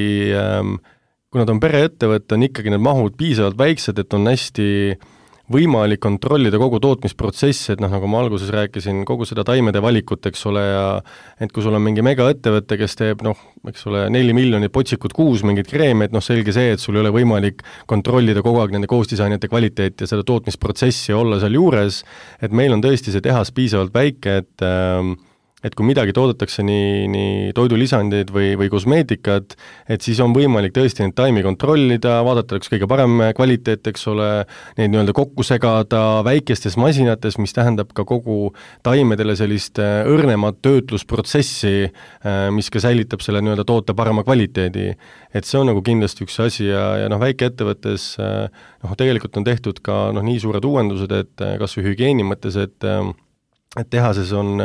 kui nad on pereettevõte, on ikkagi need mahud piisavalt väiksed, et on hästi võimalik kontrollida kogu tootmisprotsessi, et noh, nagu ma alguses rääkisin, kogu seda taimede valikut, eks ole, ja et kui sul on mingi megaettevõte, kes teeb, noh, eks ole, neli miljonit potsikut kuus mingit kreemi, et noh, selge see, et sul ei ole võimalik kontrollida kogu aeg nende koostisainete kvaliteeti ja seda tootmisprotsessi ja olla seal juures, et meil on tõesti see tehas piisavalt väike, et äh, et kui midagi toodetakse nii, nii toidulisandid või, või kosmeetikat, et siis on võimalik tõesti neid taimi kontrollida, vaadata üks kõige parem kvaliteet, eks ole, neid nii-öelda kokku segada väikestes masinates, mis tähendab ka kogu taimedele sellist õrnemat töötlusprotsessi, mis ka säilitab selle nii-öelda toote parema kvaliteedi. Et see on nagu kindlasti üks asi ja, ja noh, väikeettevõttes noh, tegelikult on tehtud ka noh, nii suured uuendused, et kas või hügieeni mõttes, et et tehases on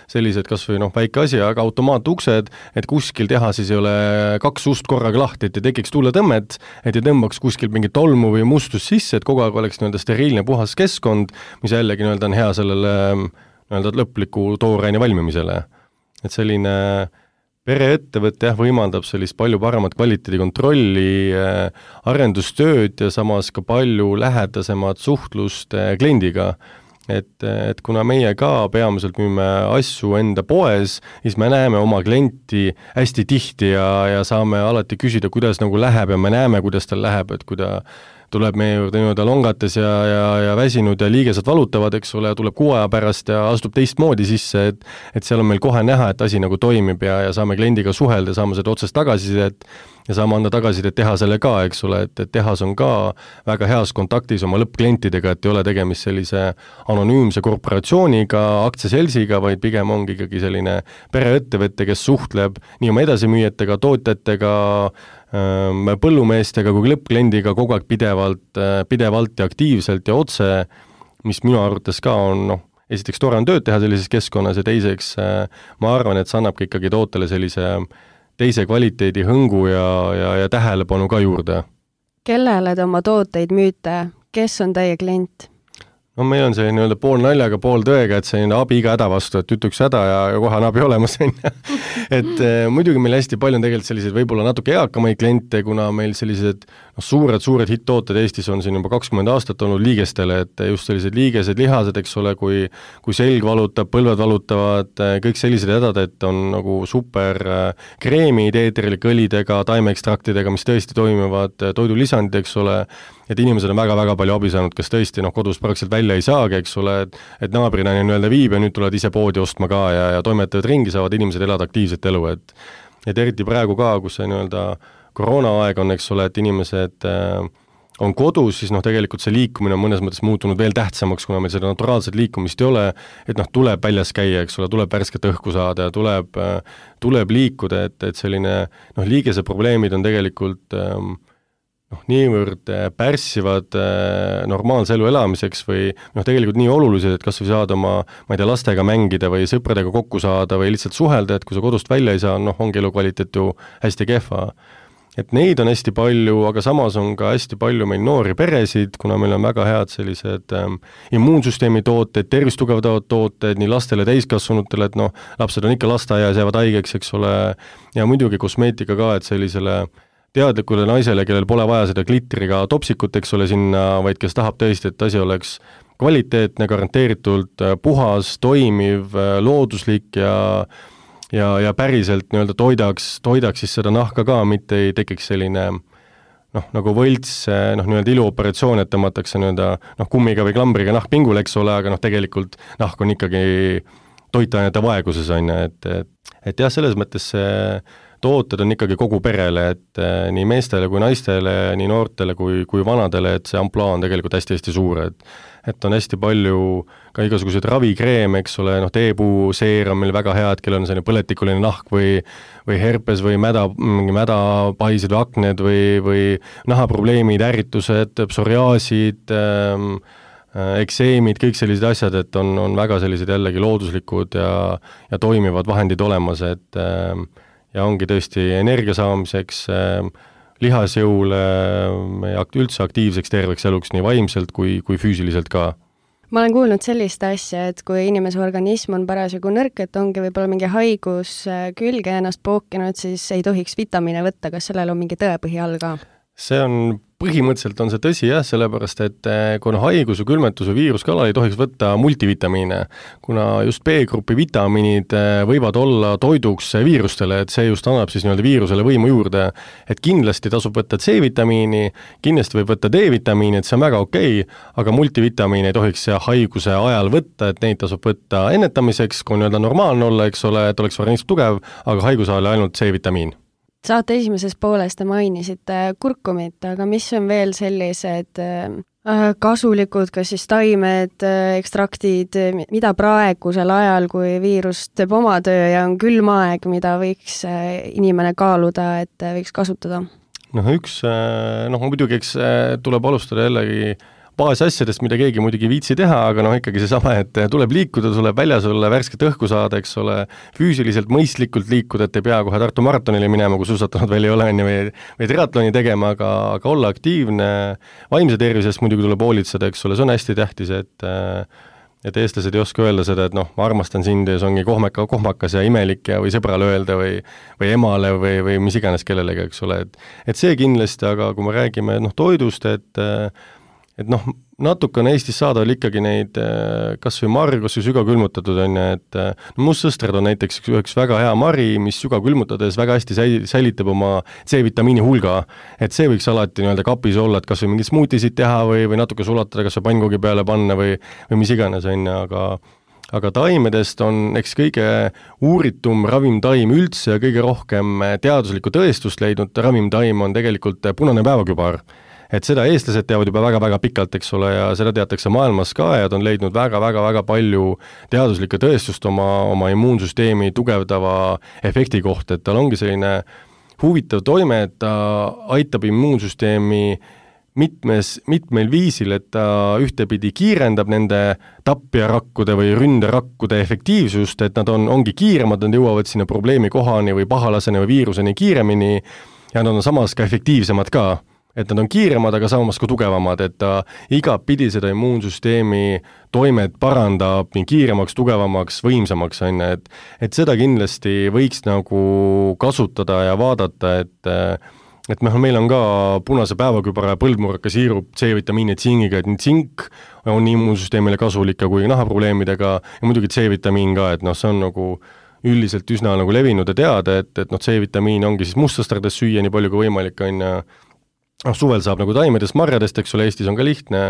sellised kas või noh, väike asi, aga automaatuksed, et kuskil tehases ei ole kaks ust korraga lahti, et ei tekiks tuuletõmmet, et ei tõmbaks kuskil mingit tolmu või mustust sisse, et kogu aeg oleks nii-öelda steriilne puhas keskkond, mis jällegi nii-öelda on hea sellele nii-öelda lõpliku tooraine valmimisele. Et selline pereettevõte jah, võimaldab sellist palju paremat kvaliteedi kontrolli, arendustööd ja samas ka palju lähedasemat suhtlust kliendiga. Et, et kuna meie ka peamiselt müüme asju enda poes, siis me näeme oma klienti hästi tihti ja, ja saame alati küsida, kuidas nagu läheb ja me näeme, kuidas tal läheb, et kui ta tuleb meie juurde nii-öelda longates ja, ja, ja väsinud ja liigesed valutavad, eks ole, tuleb kuu aja pärast ja astub teistmoodi sisse, et, et seal on meil kohe näha, et asi nagu toimib ja, ja saame kliendiga suhelda, saame seda otsest tagasisidet ja saame anda tagasisidet tehasele ka, eks ole, et, et tehas on ka väga heas kontaktis oma lõppklientidega, et ei ole tegemist sellise anonüümse korporatsiooniga, aktsiaselsiga, vaid pigem ongi ikkagi selline pereettevõte, kes suhtleb nii oma edasimüüjatega, tootjatega, põllumeestega kui lõppkliendiga kogu aeg pidevalt, pidevalt ja aktiivselt ja otse, mis minu arvates ka on noh, esiteks tore on tööd teha sellises keskkonnas ja teiseks ma arvan, et see annabki ikkagi tootele sellise teise kvaliteedi hõngu ja, ja, ja tähelepanu ka juurde. Kellele te oma tooteid müüte? Kes on teie klient? No meil on see nii-öelda pool naljaga, pool tõega, et see on abi iga häda vastu, et ütleks häda ja, ja kohe on abi olemas. et eh, muidugi meil hästi palju on tegelikult selliseid võib-olla natuke eakamaid kliente, kuna meil sellised no, suured, suured hitt-tooted Eestis on siin juba kakskümmend aastat olnud liigestele, et just sellised liigesed, lihased, eks ole, kui, kui selg valutab, põlved valutavad, kõik sellised hädad, et on nagu super kreemid eeterilike õlidega, taimeekstraktidega, mis tõesti toimivad, toidulisandid, eks ole, et inimesed on väga-väga palju abi saanud, kes tõesti noh, kodus praktiliselt välja ei saagi, eks ole, et, et naabrina nii-öelda viib ja nüüd tulevad ise poodi ostma ka ja, ja toimetavad ringi, saavad inimesed elada aktiivset elu, et et eriti praegu ka, kus see nii-öelda koroonaaeg on, eks ole, et inimesed äh, on kodus, siis noh, tegelikult see liikumine on mõnes mõttes muutunud veel tähtsamaks, kuna meil seda naturaalset liikumist ei ole, et noh, tuleb väljas käia, eks ole, tuleb värsket õhku saada ja tuleb, äh, tuleb liikuda, et, et selline noh, liigese probleemid on tegelikult äh, noh, niivõrd pärssivad normaalse elu elamiseks või noh, tegelikult nii olulised, et kas või saada oma, ma ei tea, lastega mängida või sõpradega kokku saada või lihtsalt suhelda, et kui sa kodust välja ei saa, noh, ongi elukvaliteet ju hästi kehva. Et neid on hästi palju, aga samas on ka hästi palju meil noori peresid, kuna meil on väga head sellised ähm, immuunsüsteemi tooted, tervist tugevdavad tooted nii lastele täiskasvanutele, et noh, lapsed on ikka lasteaias, jäävad haigeks, eks ole, ja muidugi kosmeetika ka, et sellisele teadlikule naisele, kellel pole vaja seda glitriga topsikut, eks ole, sinna, vaid kes tahab tõesti, et asi oleks kvaliteetne, garanteeritult puhas, toimiv, looduslik ja ja, ja päriselt nii-öelda toidaks, toidaks siis seda nahka ka, mitte ei tekiks selline noh, nagu võlts, noh, nii-öelda iluoperatsioon, et tõmmatakse nii-öelda noh, kummiga või klambriga nahk pingule, eks ole, aga noh, tegelikult nahk on ikkagi toitainete vaeguses, on ju, et, et, et jah, selles mõttes see tooted on ikkagi kogu perele, et eh, nii meestele kui naistele, nii noortele kui, kui vanadele, et see ampluaa on tegelikult hästi-hästi suur, et et on hästi palju ka igasuguseid ravikreeme, eks ole, noh, teepuuseer on meil väga hea, et kellel on selline põletikuline nahk või, või herpes või mäda, mädapaisid või akned või, või nahaprobleemid, ärritused, psoriaasid ähm,, ekseemid, kõik sellised asjad, et on, on väga sellised jällegi looduslikud ja, ja toimivad vahendid olemas, et ähm, ja ongi tõesti energia saamiseks, lihasjõule ja üldse aktiivseks terveks eluks nii vaimselt kui, kui füüsiliselt ka. Ma olen kuulnud sellist asja, et kui inimese organism on parasjagu nõrk, et ongi võib-olla mingi haigus külge ennast pookinud, siis ei tohiks vitamiine võtta, kas sellel on mingi tõepõhi all ka? See on, põhimõtteliselt on see tõsi jah, sellepärast et kuna haigus või külmetus või viiruskalal ei tohiks võtta multivitamiine, kuna just B-grupi vitamiinid võivad olla toiduks viirustele, et see just annab siis nii-öelda viirusele võimu juurde, et kindlasti tasub võtta C-vitamiini, kindlasti võib võtta D-vitamiini, et see on väga okei, aga multivitamiine ei tohiks haiguse ajal võtta, et neid tasub võtta ennetamiseks, kui nii-öelda normaalne olla, eks ole, et oleks organism tugev, aga haiguse ajal ainult C-vitamiin. Saate esimeses pooles te mainisite kurkumit, aga mis on veel sellised kasulikud, kas siis taimed, ekstraktid, mida praegusel ajal, kui viirus teeb oma töö ja on külm aeg, mida võiks inimene kaaluda, et võiks kasutada? Noh, üks, noh muidugi eks tuleb alustada jällegi baasasjadest, mida keegi muidugi viitsi teha, aga noh, ikkagi seesama, et tuleb liikuda, tuleb väljas olla, värsket õhku saada, eks ole, füüsiliselt mõistlikult liikuda, et ei pea kohe Tartu maratonile minema, kui suusatanud veel ei ole, või, või triatloni tegema, aga, aga olla aktiivne, vaimse tervisest muidugi tuleb hoolitseda, eks ole, see on hästi tähtis, et et eestlased ei oska öelda seda, et noh, ma armastan sind ja see ongi kohmeka, kohmakas ja imelik ja või sõbrale öelda või, või emale või, või mis iganes kellelegi, eks ole, et et see kindlasti, aga kui me räägime noh, toidust, et et noh, natukene Eestis saada oli ikkagi neid kas või marju, kas või sügavkülmutatud on ju, et no mustsõstrad on näiteks üks, üks väga hea mari, mis sügavkülmutades väga hästi säilitab oma C-vitamiini hulga, et see võiks alati nii-öelda kapis olla, et kas või mingid smuutisid teha või, või natuke sulatada, kas või pannkoogi peale panna või, või mis iganes on ju, aga aga taimedest on eks kõige uuritum ravimtaim üldse ja kõige rohkem teaduslikku tõestust leidnud ravimtaim on tegelikult punane päevakübar. Et seda eestlased teavad juba väga-väga pikalt, eks ole, ja seda teatakse maailmas ka ja ta on leidnud väga-väga-väga palju teaduslikke tõestust oma, oma immuunsüsteemi tugevdava efekti kohta, et tal ongi selline huvitav toime, et ta aitab immuunsüsteemi mitmes, mitmel viisil, et ta ühtepidi kiirendab nende tapjarakkude või ründerakkude efektiivsust, et nad on, ongi kiiremad, nad jõuavad sinna probleemi kohani või pahalaseni või viiruseni kiiremini ja nad on samas ka efektiivsemad ka. Et nad on kiiremad, aga samas ka tugevamad, et ta igapidi seda immuunsüsteemi toimet parandab nii kiiremaks, tugevamaks, võimsamaks, on, et, et seda kindlasti võiks nagu kasutada ja vaadata, et et me, meil on ka punase päevakübara ja põldmurraka siirup C-vitamiini ja tsingiga, et nii tsink on immuunsüsteemile kasulik ka kui nahaprobleemidega ja muidugi C-vitamiin ka, et noh, see on nagu üldiselt üsna nagu levinud ja teada, et, et noh, C-vitamiin ongi siis mustastardest süüa nii palju kui võimalik, on ja noh, suvel saab nagu taimedest, marjadest, eks ole, Eestis on ka lihtne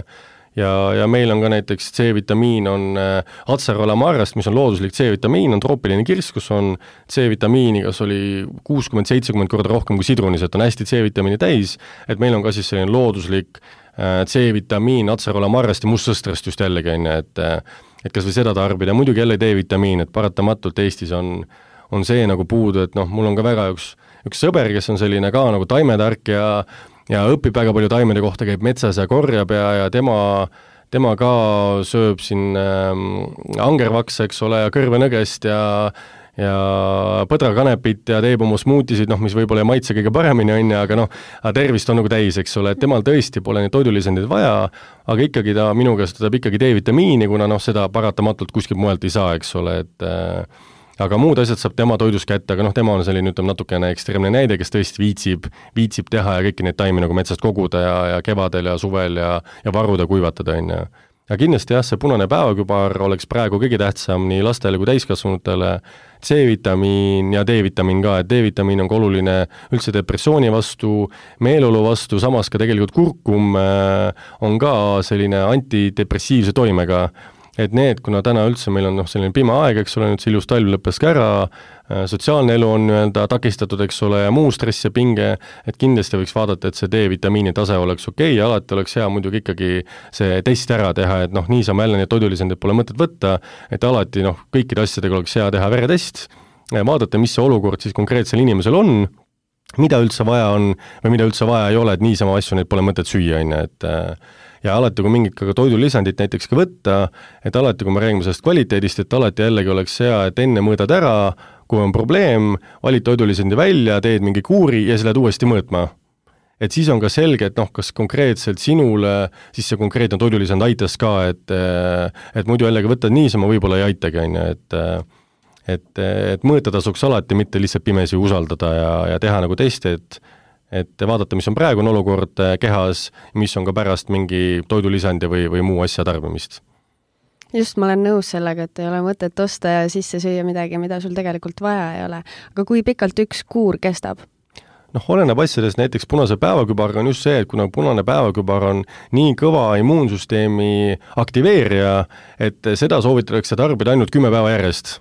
ja, ja meil on ka näiteks C-vitamiin on äh, Acerola marjast, mis on looduslik C-vitamiin, on troopiline kirss, kus on C-vitamiini, kas oli kuuskümmend seitsekümmend korda rohkem kui sidrunis, et on hästi C-vitamiini täis, et meil on ka siis selline looduslik äh, C-vitamiin Acerola marjast ja mustsõstrast just jällegi, et, et kas või seda tarbida, muidugi jälle D-vitamiin, et paratamatult Eestis on, on see nagu puudu, et noh, mul on ka väga üks, üks sõber, kes on selline ka nagu taimetark ja ja õpib väga palju taimede kohta, käib metsas ja korjab ja, ja tema, tema ka sööb siin äh, angervaks, eks ole, ja kõrvenõgest ja, ja põdrakanepit ja teeb oma smuutisid, noh, mis võib-olla ei maitse kõige paremini, on ja, aga noh, tervist on nagu täis, eks ole, et temal tõesti pole neid toidulisandeid vaja, aga ikkagi ta minu käest võtab ikkagi D-vitamiini, kuna noh, seda paratamatult kuskilt mujalt ei saa, eks ole, et äh, aga muud asjad saab tema toidus kätte, aga noh, tema on selline, ütleme, natukene ekstreemne näide, kes tõesti viitsib, viitsib teha ja kõiki neid taimi nagu metsast koguda ja, ja kevadel ja suvel ja, ja varuda, kuivatada, on ja. Ja kindlasti jah, see punane päevakübar oleks praegu kõige tähtsam nii lastele kui täiskasvanutele, C-vitamiin ja D-vitamiin ka, et D-vitamiin on ka oluline üldse depressiooni vastu, meeleolu vastu, samas ka tegelikult kurkum on ka selline antidepressiivse toimega, et need, kuna täna üldse meil on noh, selline pime aeg, eks ole, nüüd see ilus talv lõppes ka ära, sotsiaalne elu on nii-öelda takistatud, eks ole, ja muu stress ja pinge, et kindlasti võiks vaadata, et see D-vitamiini tase oleks okei okay, ja alati oleks hea muidugi ikkagi see test ära teha, et noh, niisama jälle neid toidulisandid pole mõtet võtta, et alati noh, kõikide asjadega oleks hea teha veretest, vaadata, mis see olukord siis konkreetsel inimesel on, mida üldse vaja on või mida üldse vaja ei ole, et niisama asju neid pole mõtet süüa, on, et ja alati, kui mingit ka toidulisandit näiteks ka võtta, et alati, kui me räägime sellest kvaliteedist, et alati jällegi oleks hea, et enne mõõdad ära, kui on probleem, valid toidulisandi välja, teed mingi kuuri ja siis lähed uuesti mõõtma. Et siis on ka selge, et noh, kas konkreetselt sinule siis see konkreetne toidulisand aitas ka, et, et muidu jällegi võtad niisama, võib-olla ei aitagi, on, et et, et mõõta tasuks alati, mitte lihtsalt pimesi usaldada ja, ja teha nagu testi, et et vaadata, mis on praegune olukord kehas, mis on ka pärast mingi toidulisandi või, või muu asja tarbimist. Just, ma olen nõus sellega, et ei ole mõtet osta ja sisse süüa midagi, mida sul tegelikult vaja ei ole. Aga kui pikalt üks kuur kestab? Noh, oleneb asjadest, näiteks punase päevakübarga on just see, et kuna punane päevakübar on nii kõva immuunsüsteemi aktiveerija, et seda soovitatakse tarbida ainult kümme päeva järjest.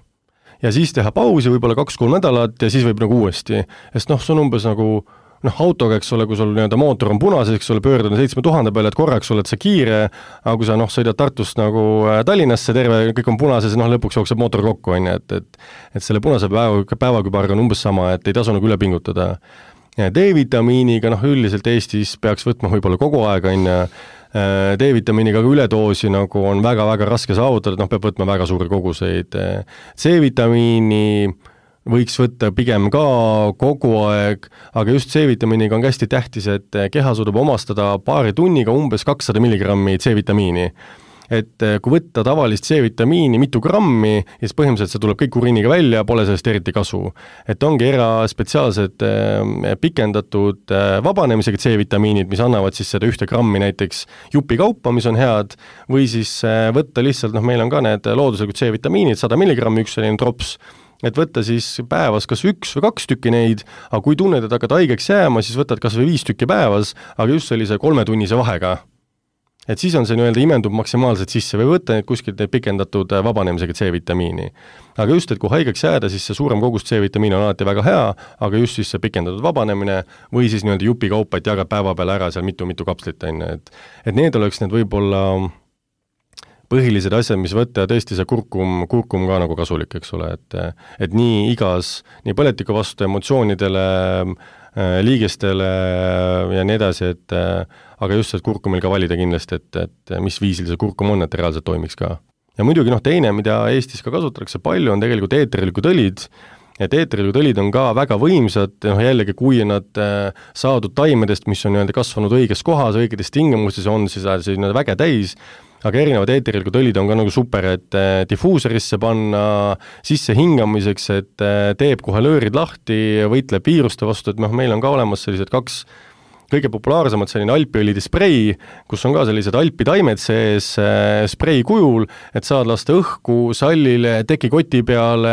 Ja siis teha pausi võib-olla kaks-kolm nädalat ja siis võib nagu uuesti. Sest noh, see on umbes nagu noh, autoga, eks ole, kui sul nii-öelda mootor on punases, eks ole, pöördud seitsme tuhande peale, et korraks oled sa kiire, aga kui sa noh, sõidad Tartust nagu Tallinnasse terve, kõik on punases, noh, lõpuks jookseb mootor kokku, on, et, et, et selle punase päeva, päevakübarga on umbes sama, et ei tasu nagu üle pingutada. Ja D-vitamiiniga, noh, üldiselt Eestis peaks võtma võib-olla kogu aeg, on D-vitamiiniga üledoosi nagu on väga-väga raske saavutada, et noh, peab võtma väga suuri koguseid. C-vitamiini võiks võtta pigem ka kogu aeg, aga just C-vitamiiniga on hästi tähtis, et keha suudab omastada paari tunniga umbes kakssada milligrammi C-vitamiini. Et kui võtta tavalist C-vitamiini mitu grammi, siis põhimõtteliselt see tuleb kõik uriiniga välja, pole sellest eriti kasu. Et ongi eraspetsiaalsed pikendatud vabanemisega C-vitamiinid, mis annavad siis seda ühte grammi näiteks jupi kaupa, mis on head, või siis võtta lihtsalt, noh, meil on ka need looduslikud C-vitamiinid, sada milligrammi üks selline drops, et võtta siis päevas kas üks või kaks tükki neid, aga kui tunned, et hakkad haigeks jääma, siis võtad kas või viis tükki päevas, aga just sellise kolmetunnise vahega. Et siis on see nii-öelda imendub maksimaalselt sisse või võtta neid kuskilt neid pikendatud vabanemisega C-vitamiini. Aga just, et kui haigeks jääda, siis see suurem kogus C-vitamiini on alati väga hea, aga just siis see pikendatud vabanemine või siis nii-öelda jupi kaupa, et jagad päeva peale ära seal mitu-mitu kapslit, et, et need oleks need võib-olla põhilised asjad, mis võtta ja tõesti see kurkum, kurkum ka nagu kasulik, eks ole, et, et nii igas, nii põletiku vastu emotsioonidele, liigestele ja nii edasi, et aga just see kurkumil ka valida kindlasti, et, et mis viisil see kurkum on, et reaalselt toimiks ka. Ja muidugi noh, teine, mida Eestis ka kasutatakse palju, on tegelikult eeterilikud õlid, et eeterilikud õlid on ka väga võimsad, noh jällegi, kui nad saadud taimedest, mis on nii-öelda kasvanud õiges kohas, õigedes tingimustes, on siis nii-öelda väge täis, aga erinevad eeterilikud õlid on ka nagu super, et difuuserisse panna sisse hingamiseks, et teeb kohe löörid lahti, võitleb viiruste vastu, et noh, meil on ka olemas sellised kaks kõige populaarsemad selline alpiõlide sprei, kus on ka sellised alpitaimed sees sprei kujul, et saad lasta õhku sallile, tekikoti peale,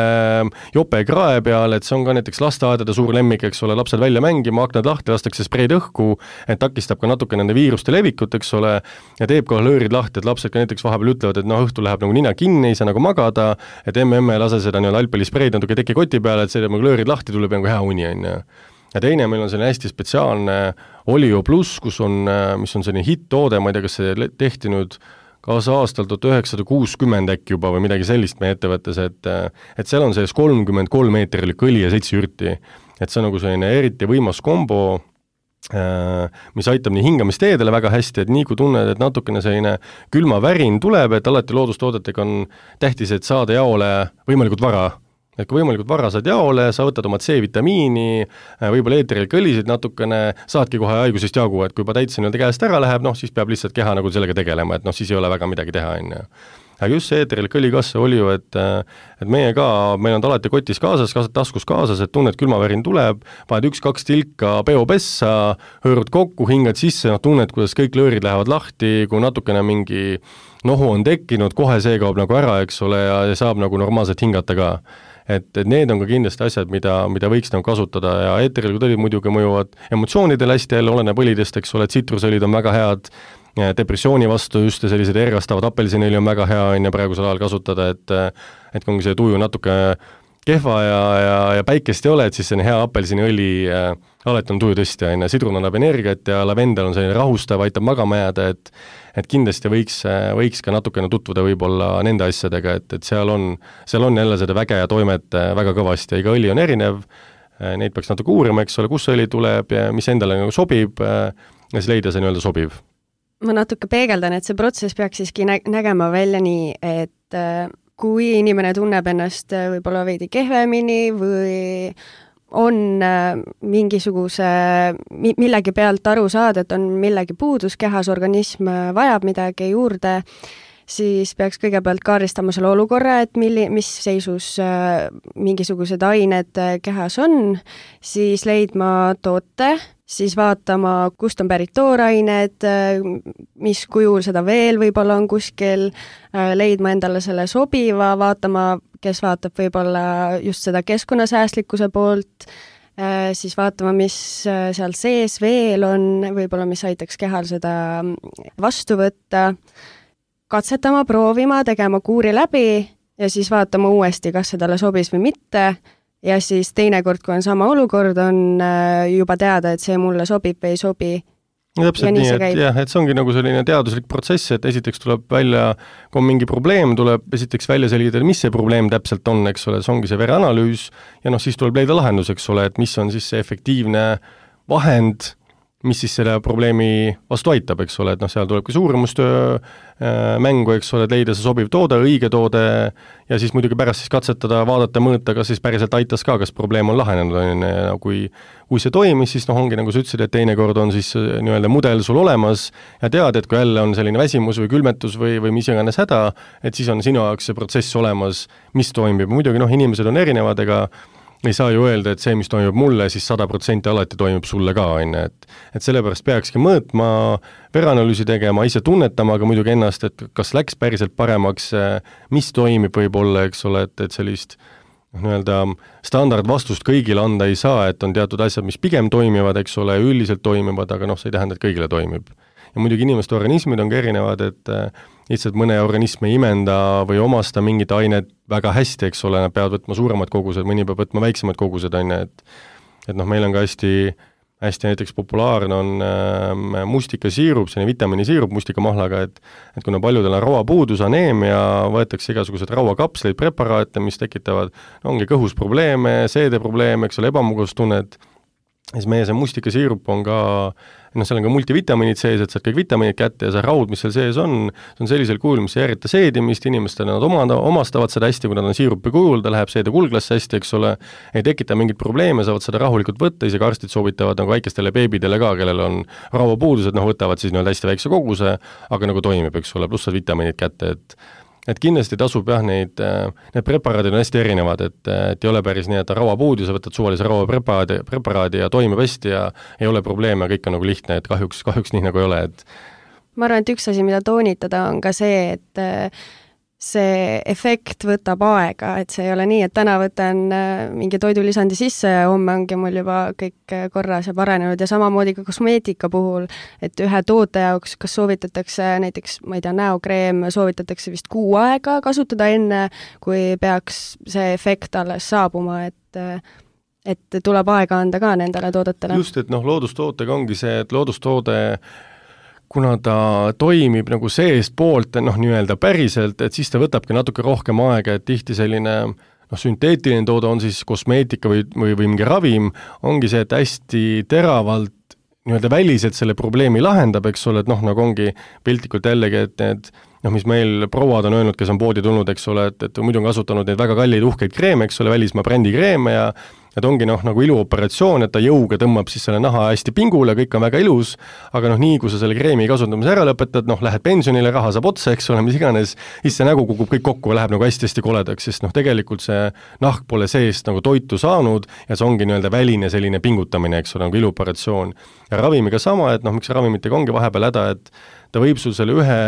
jope krae peale, et see on ka näiteks lasteaedade suur lemmik, eks ole, lapsed välja mängima, aknad lahti, lastakse spreid õhku, et takistab ka natuke nende viiruste levikut, eks ole, ja teeb kohe löörid lahti, et lapsed ka näiteks vahepeal ütlevad, et noh, õhtul läheb nagu nina kinni, ei saa nagu magada, et emme emme lase seda nii-öelda alpiõli spreid natuke tekikoti peale, et see teeb nagu löörid lahti, tuleb nagu hea uni, on ju. Ja teine meil on selline hästi spetsiaalne Olio Plus, kus on, mis on selline hitt-toode, ma ei tea, kas see tehti nüüd kaasa aastal tuhat üheksasada kuuskümmend äkki juba või midagi sellist meie ettevõttes, et, et seal on selles kolmkümmend kolm meetrilik õli ja seitse ürti. Et see on nagu selline eriti võimas kombo, mis aitab nii hingamisteedele väga hästi, et nii kui tunned, et natukene selline külma värin tuleb, et alati loodustoodetega on tähtis, et saada jaole võimalikult vara. Et kui võimalikult vara saad jaole, sa võtad oma C-vitamiini, võib-olla eeterilik õlisid natukene, saadki kohe haigusest jagu, et kui juba täitsa nii-öelda käest ära läheb, noh siis peab lihtsalt keha nagu sellega tegelema, et noh siis ei ole väga midagi teha, on ju. Aga just see eeterilik õli kas see oli ju, et, et meie ka, meil on alati kotis kaasas, taskus kaasas, et tunned külmavärin tuleb, paned üks-kaks tilka peopessa, hõõrud kokku, hingad sisse, noh tunned, kuidas kõik löörid lähevad lahti, kui natukene mingi nohu on tekkinud, kohe see kaob nagu ära, eks ole, ja saab nagu normaalselt hingata ka. Et, et need on ka kindlasti asjad, mida, mida võiks nagu kasutada ja eeterilikud õlid muidugi mõjuvad emotsioonidele hästi jälle, oleneb õlidest, eks ole, tsitrusõlid on väga head, depressiooni vastu just sellised ergastavad apelsinõli on väga hea on ja praegusel ajal kasutada, et, et kui see tuju natuke kehva ja, ja, ja päikest ei ole, et siis see on hea apelsiniõli, äh, alati on tuju tõstja, on ja sidrun annab energiat ja lavendel on selline rahustav, aitab magama jääda, et et kindlasti võiks, võiks ka natukene tutvuda võib-olla nende asjadega, et, et seal on, seal on jälle seda väge ja toimet väga kõvasti ja iga õli on erinev, neid peaks natuke uurima, eks ole, kus see õli tuleb ja mis endale nagu sobib ja siis leida see nii-öelda sobiv. Ma natuke peegeldan, et see protsess peaks siiski nä- nägema välja nii, et kui inimene tunneb ennast võib-olla veidi kehvemini või on mingisuguse millegi pealt aru saada, et on millegi puudus kehas, organism vajab midagi juurde, siis peaks kõigepealt kaardistama selle olukorra, et milli, mis seisus mingisugused ained kehas on, siis leidma toote, siis vaatama, kust on pärit toorained, mis kujul seda veel võib-olla on kuskil, leidma endale selle sobiva, vaatama, kes vaatab võib-olla just seda keskkonnasäästlikkuse poolt, siis vaatama, mis seal sees veel on, võib-olla mis aitaks kehal seda vastu võtta, katsetama, proovima, tegema kuuri läbi ja siis vaatama uuesti, kas see talle sobis või mitte. Ja siis teinekord, kui on sama olukord, on juba teada, et see mulle sobib või ei sobi. Täpselt nii, et, jah, et see ongi nagu selline teaduslik protsess, et esiteks tuleb välja, kui on mingi probleem, tuleb esiteks välja selgitada, mis see probleem täpselt on, eks ole, see ongi see vereanalüüs ja noh, siis tuleb leida lahendus, eks ole, et mis on siis see efektiivne vahend, mis siis selle probleemi vastu aitab, eks ole, et noh, seal tuleb ka suuremustöö äh, mängu, eks ole, et leida see sobiv toode, õige toode ja siis muidugi pärast siis katsetada, vaadata, mõõta, kas siis päriselt aitas ka, kas probleem on lahenenud, on ja kui, kui see toimis, siis noh, ongi nagu sa ütlesid, et teinekord on siis nii-öelda mudel sul olemas ja tead, et kui jälle on selline väsimus või külmetus või, või mis iganes häda, et siis on sinu jaoks see protsess olemas, mis toimib, muidugi noh, inimesed on erinevad, ega ei saa ju öelda, et see, mis toimub mulle, siis sada protsenti alati toimub sulle ka, on, et et sellepärast peakski mõõtma, vereanalüüsi tegema, ise tunnetama, aga muidugi ennast, et kas läks päriselt paremaks, mis toimib võib-olla, eks ole, et, et sellist nii-öelda standardvastust kõigile anda ei saa, et on teatud asjad, mis pigem toimivad, eks ole, üldiselt toimivad, aga noh, see ei tähenda, et kõigile toimib. Ja muidugi inimeste organismid on ka erinevad, et lihtsalt mõne organism ei imenda või omasta mingit ainet väga hästi, eks ole, nad peavad võtma suuremad kogused, mõni peab võtma väiksemad kogused, on, et et noh, meil on ka hästi, hästi näiteks populaarne on äh, mustikasiirup, selline vitamiinisiirup mustikamahlaga, et et kuna paljudel on rauapuudus, aneemia, võetakse igasugused rauakapsleid, preparaate, mis tekitavad, no ongi kõhus probleeme, seedeprobleeme, eks ole, ebamugavustunnet, siis meie see mustikasiirup on ka, noh, seal on ka multivitamiinid sees, et saad kõik vitamiinid kätte ja see raud, mis seal sees on, see on sellisel kujul, mis ei ärita seedimist, inimestele nad omanda, omastavad seda hästi, kui nad on siirupi kujul, ta läheb seede kulglasse hästi, eks ole, ei tekita mingit probleeme, saavad seda rahulikult võtta, isegi arstid soovitavad nagu väikestele beebidele ka, kellel on rauapuudused, noh, võtavad siis nii-öelda hästi väikse koguse, aga nagu toimib, eks ole, pluss saad vitamiinid kätte, et et kindlasti tasub jah, neid, need preparaadid on hästi erinevad, et, et ei ole päris nii, et rauapuud ja sa võtad suvalise rauapreparaadi preparaadi ja toimib hästi ja ei ole probleeme, kõik on nagu lihtne, et kahjuks, kahjuks nii nagu ei ole, et ma arvan, et üks asi, mida toonitada, on ka see, et see efekt võtab aega, et see ei ole nii, et täna võtan mingi toidulisandi sisse ja homme ongi mul juba kõik korras ja paranenud ja samamoodi ka kosmeetika puhul, et ühe toote jaoks, kas soovitatakse näiteks, ma ei tea, näokreem, soovitatakse vist kuu aega kasutada enne, kui peaks see efekt alles saabuma, et et tuleb aega anda ka nendele toodetele. Just, et noh, loodustootega ongi see, et loodustoode kuna ta toimib nagu seest poolt, noh, nii-öelda päriselt, et siis ta võtabki natuke rohkem aega, et tihti selline noh, sünteetiline toode on siis kosmeetika või, või, või mingi ravim, ongi see, et hästi teravalt nii-öelda väliselt selle probleemi lahendab, eks ole, et noh, nagu ongi piltlikult jällegi, et need noh, mis meil prouad on öelnud, kes on poodi tulnud, eks ole, et, et muidu on kasutanud neid väga kalleid uhkeid kreeme, eks ole, välismaa brändi kreeme ja et ongi noh, nagu iluoperatsioon, et ta jõuga tõmbab siis selle naha hästi pingule, kõik on väga ilus, aga noh, nii kui sa selle kreemi kasutamise ära lõpetad, noh, lähed pensionile, raha saab otsa, eks ole, mis iganes, siis see nägu kukub kõik kokku ja läheb nagu hästi-hästi koledaks, sest noh, tegelikult see nahk pole seest nagu toitu saanud ja see ongi nii-öelda väline selline pingutamine, eks ole, nagu iluoperatsioon. Ja ravimiga sama, et noh, miks ravimitega ongi vahepeal häda, et ta võib sul selle ühe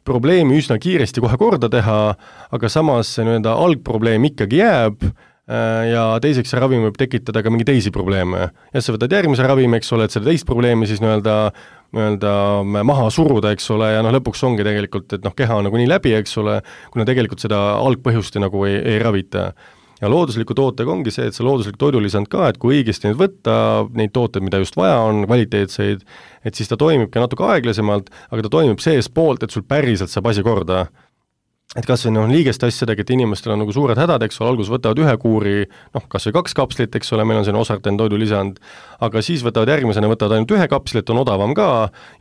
probleemi üsna kiiresti kohe korda teha, aga samas see nii-öelda algprobleem ikkagi jääb ja teiseks see ravim võib tekitada ka mingi teisi probleeme. Ja sa võtad järgmise ravimi, eks ole, et selle teist probleemi siis nii-öelda, nii-öelda maha suruda, eks ole, ja noh, lõpuks ongi tegelikult, et noh, keha on nagu nii läbi, eks ole, kuna tegelikult seda algpõhjust nagu ei, ei ravita. Ja loodusliku tootega ongi see, et see looduslik toidulisand ka, et kui õigesti nüüd võtta neid tooteid, mida just vaja on, kvaliteetseid, et siis ta toimib ka natuke aeglasemalt, aga ta toimib sees poolt, et sul päriselt saab asi korda. Et kas või noh, liigest asjadega, et inimestel on nagu suured hädad, eks ole, algus võtavad ühe kuuri, noh, kas või kaks kapslit, eks ole, meil on selline Osarten toidulisand, aga siis võtavad järgmisena, võtavad ainult ühe kapslit, on odavam ka,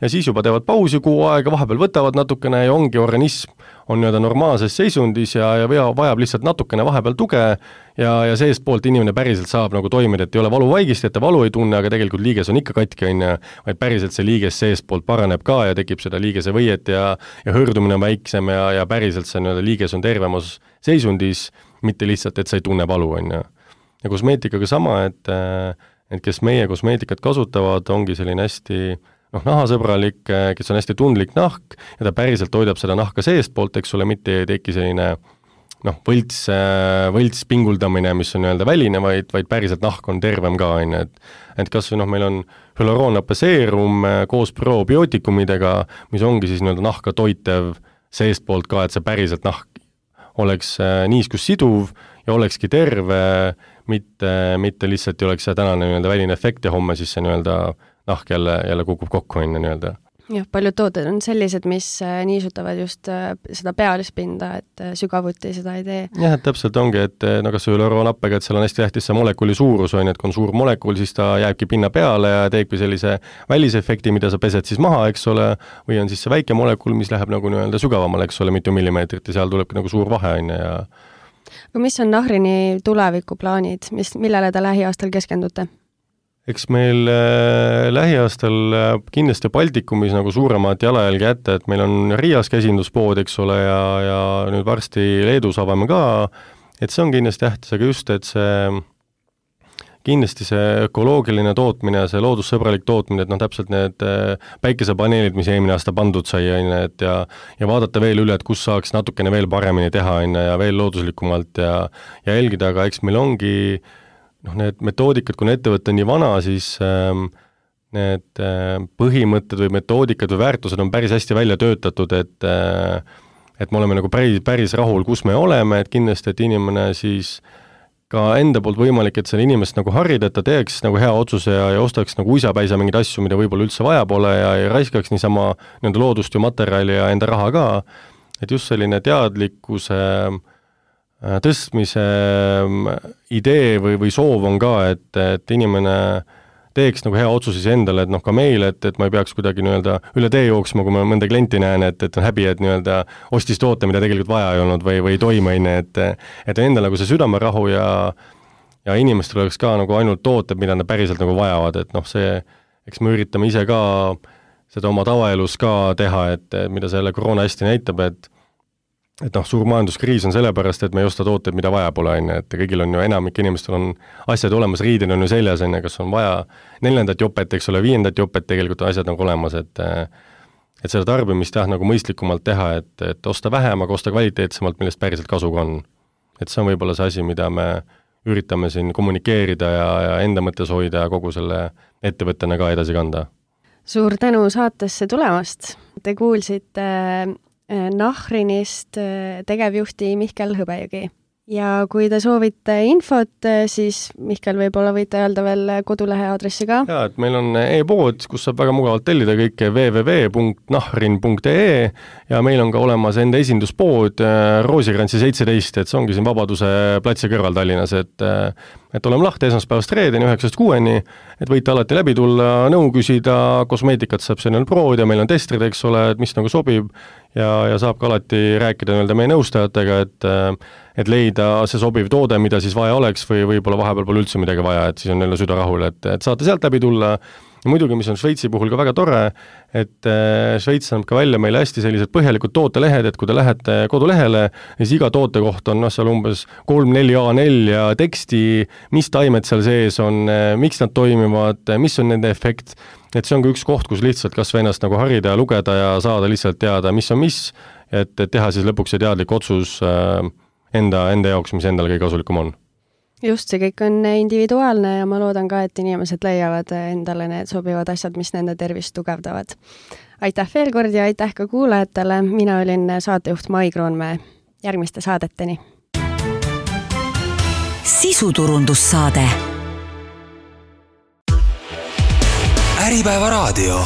ja siis juba teevad pausi kuu aega, vahepeal võtavad natukene ja ongi organism on nii-öelda normaalses seisundis ja, ja vajab lihtsalt natukene vahepeal tuge ja, ja seest poolt inimene päriselt saab nagu toimida, et ei ole valuvaigist, et ta valu ei tunne, aga tegelikult liiges on ikka katki, on ja, vaid päriselt see liiges seest poolt paraneb ka ja tekib seda liigese võiet ja, ja hõõrdumine on väiksem ja, ja päriselt see nii-öelda liiges on tervemas seisundis, mitte lihtsalt, et sa ei tunne valu, on ja. Ja kosmeetikaga sama, et, et kes meie kosmeetikat kasutavad, ongi selline hästi noh, nahasõbralik, kes on hästi tundlik nahk ja ta päriselt hoidab seda nahka seest poolt, eks ole, mitte ei teki selline noh, võlts, võlts pinguldamine, mis on nii-öelda väline, vaid, vaid päriselt nahk on tervem ka, on, et, et kas või noh, meil on hüaluroonapaseerum koos probiootikumidega, mis ongi siis nii-öelda nahka toitev seest poolt ka, et see päriselt nahk oleks niiskus siduv ja olekski terve, mitte, mitte lihtsalt ei oleks see tänane nii-öelda väline efekt ja homme siis see nii-öelda nahk jälle, jälle kukub kokku enne nii-öelda. Jah, paljud tooted on sellised, mis niisutavad just seda pealispinda, et sügavuti seda ei tee. Jah, et täpselt ongi, et no kas hüaluroonappega, et seal on hästi tähtis see molekuli suurus, on, et kui on suur molekul, siis ta jääbki pinna peale ja teebki sellise välisefekti, mida sa pesed siis maha, eks ole, või on siis see väike molekul, mis läheb nagu nii-öelda sügavamale, eks ole, mitu millimeetrit ja seal tulebki nagu suur vahe, on ja aga mis on Nahrini tulevikuplaanid, mis, millele te lähiaastal keskendute? Eks meil äh, lähiaastal äh, kindlasti Baltikumis nagu suuremat jalajälgi jätta, et meil on Riias käsinduspood, eks ole, ja, ja nüüd varsti Leedus avame ka, et see on kindlasti tähtis, aga just, et see kindlasti see ökoloogiline tootmine ja see loodussõbralik tootmine, et noh, täpselt need äh, päikesepaneelid, mis eelmine aasta pandud sai, et ja, ja vaadata veel üle, et kus saaks natukene veel paremini teha, ja veel looduslikumalt ja, ja jälgida, aga eks meil ongi noh, need metoodikad, kui ettevõte on nii vana, siis ähm, need äh, põhimõtted või metoodikad või väärtused on päris hästi välja töötatud, et äh, et me oleme nagu päris, päris rahul, kus me oleme, et kindlasti, et inimene siis ka enda poolt võimalik, et selle inimest nagu harida, et ta teeks nagu hea otsuse ja, ja ostaks nagu uisapäisa mingeid asju, mida võib-olla üldse vaja pole ja ei raiskaks niisama nende loodust ja materjali ja enda raha ka, et just selline teadlikkuse tõstmise idee või, või soov on ka, et, et inimene teeks nagu hea otsus siis endale, et noh, ka meile, et, et ma ei peaks kuidagi nii-öelda üle tee jooksma, kui ma mõnda klienti näen, et, et on häbi, et nii-öelda ostis toote, mida tegelikult vaja ei olnud või, või toimeaine, et et endal nagu see südamerahu ja ja inimestel oleks ka nagu ainult tooted, mida nad päriselt nagu vajavad, et noh, see, eks me üritame ise ka seda oma tavaelus ka teha, et mida selle koroona hästi näitab, et et noh, suur majanduskriis on sellepärast, et me ei osta tooteid, mida vaja pole, on ju, et kõigil on ju enamik inimestel on asjad olemas, riided on ju seljas, on ju, kas on vaja neljandat jopet, eks ole, viiendat jopet, tegelikult on asjad nagu olemas, et et seda tarbimist jah, nagu mõistlikumalt teha, et, et osta vähem, aga osta kvaliteetsemalt, millest päriselt kasu on. Et see on võib-olla see asi, mida me üritame siin kommunikeerida ja, ja enda mõttes hoida ja kogu selle ettevõttena ka edasi kanda. Suur tänu saatesse tulemast. Te kuulsite Nahrinist tegevjuhti Mihkel Hõbejõgi. Ja kui te soovite infot, siis Mihkel võib-olla võite öelda veel kodulehe aadressi ka. Jaa, et meil on e-pood, kus saab väga mugavalt tellida kõike double-u double-u double-u punkt nahrin punkt e e ja meil on ka olemas enda esinduspood Roosikrantsi seitseteist, et see ongi siin Vabaduse platsi kõrval Tallinnas, et et oleme lahti esmaspäevast reedeni üheksast kuueni, et võite alati läbi tulla, nõu küsida, kosmeetikat saab siin proovida, meil on testrid, eks ole, et mis nagu sobib ja, ja saab ka alati rääkida nii-öelda meie nõustajatega, et et leida see sobiv toode, mida siis vaja oleks või võib-olla vahepeal pole üldse midagi vaja, et siis on jälle süda rahul, et, et saate sealt läbi tulla. Ja muidugi, mis on Šveitsi puhul ka väga tore, et Šveits annab ka välja meile hästi sellised põhjalikud tootelehed, et kui te lähete kodulehele, siis iga toote kohta on no, seal umbes kolm-neli A neli ja teksti, mis taimed seal sees on, miks nad toimivad, mis on nende efekt, et see on ka üks koht, kus lihtsalt kas või ennast nagu harida ja lugeda ja saada lihtsalt teada, mis on mis, et, et teha siis lõpuks see teadlik otsus enda, enda jaoks, mis endale kõige kasulikum on. Just, see kõik on individuaalne ja ma loodan ka, et inimesed leiavad endale need sobivad asjad, mis nende tervist tugevdavad. Aitäh veel kord ja aitäh ka kuulajatele. Mina olin saatejuht Mai Kroonmäe. Järgmiste saadeteni. Sisuturundussaade. Äripäeva raadio.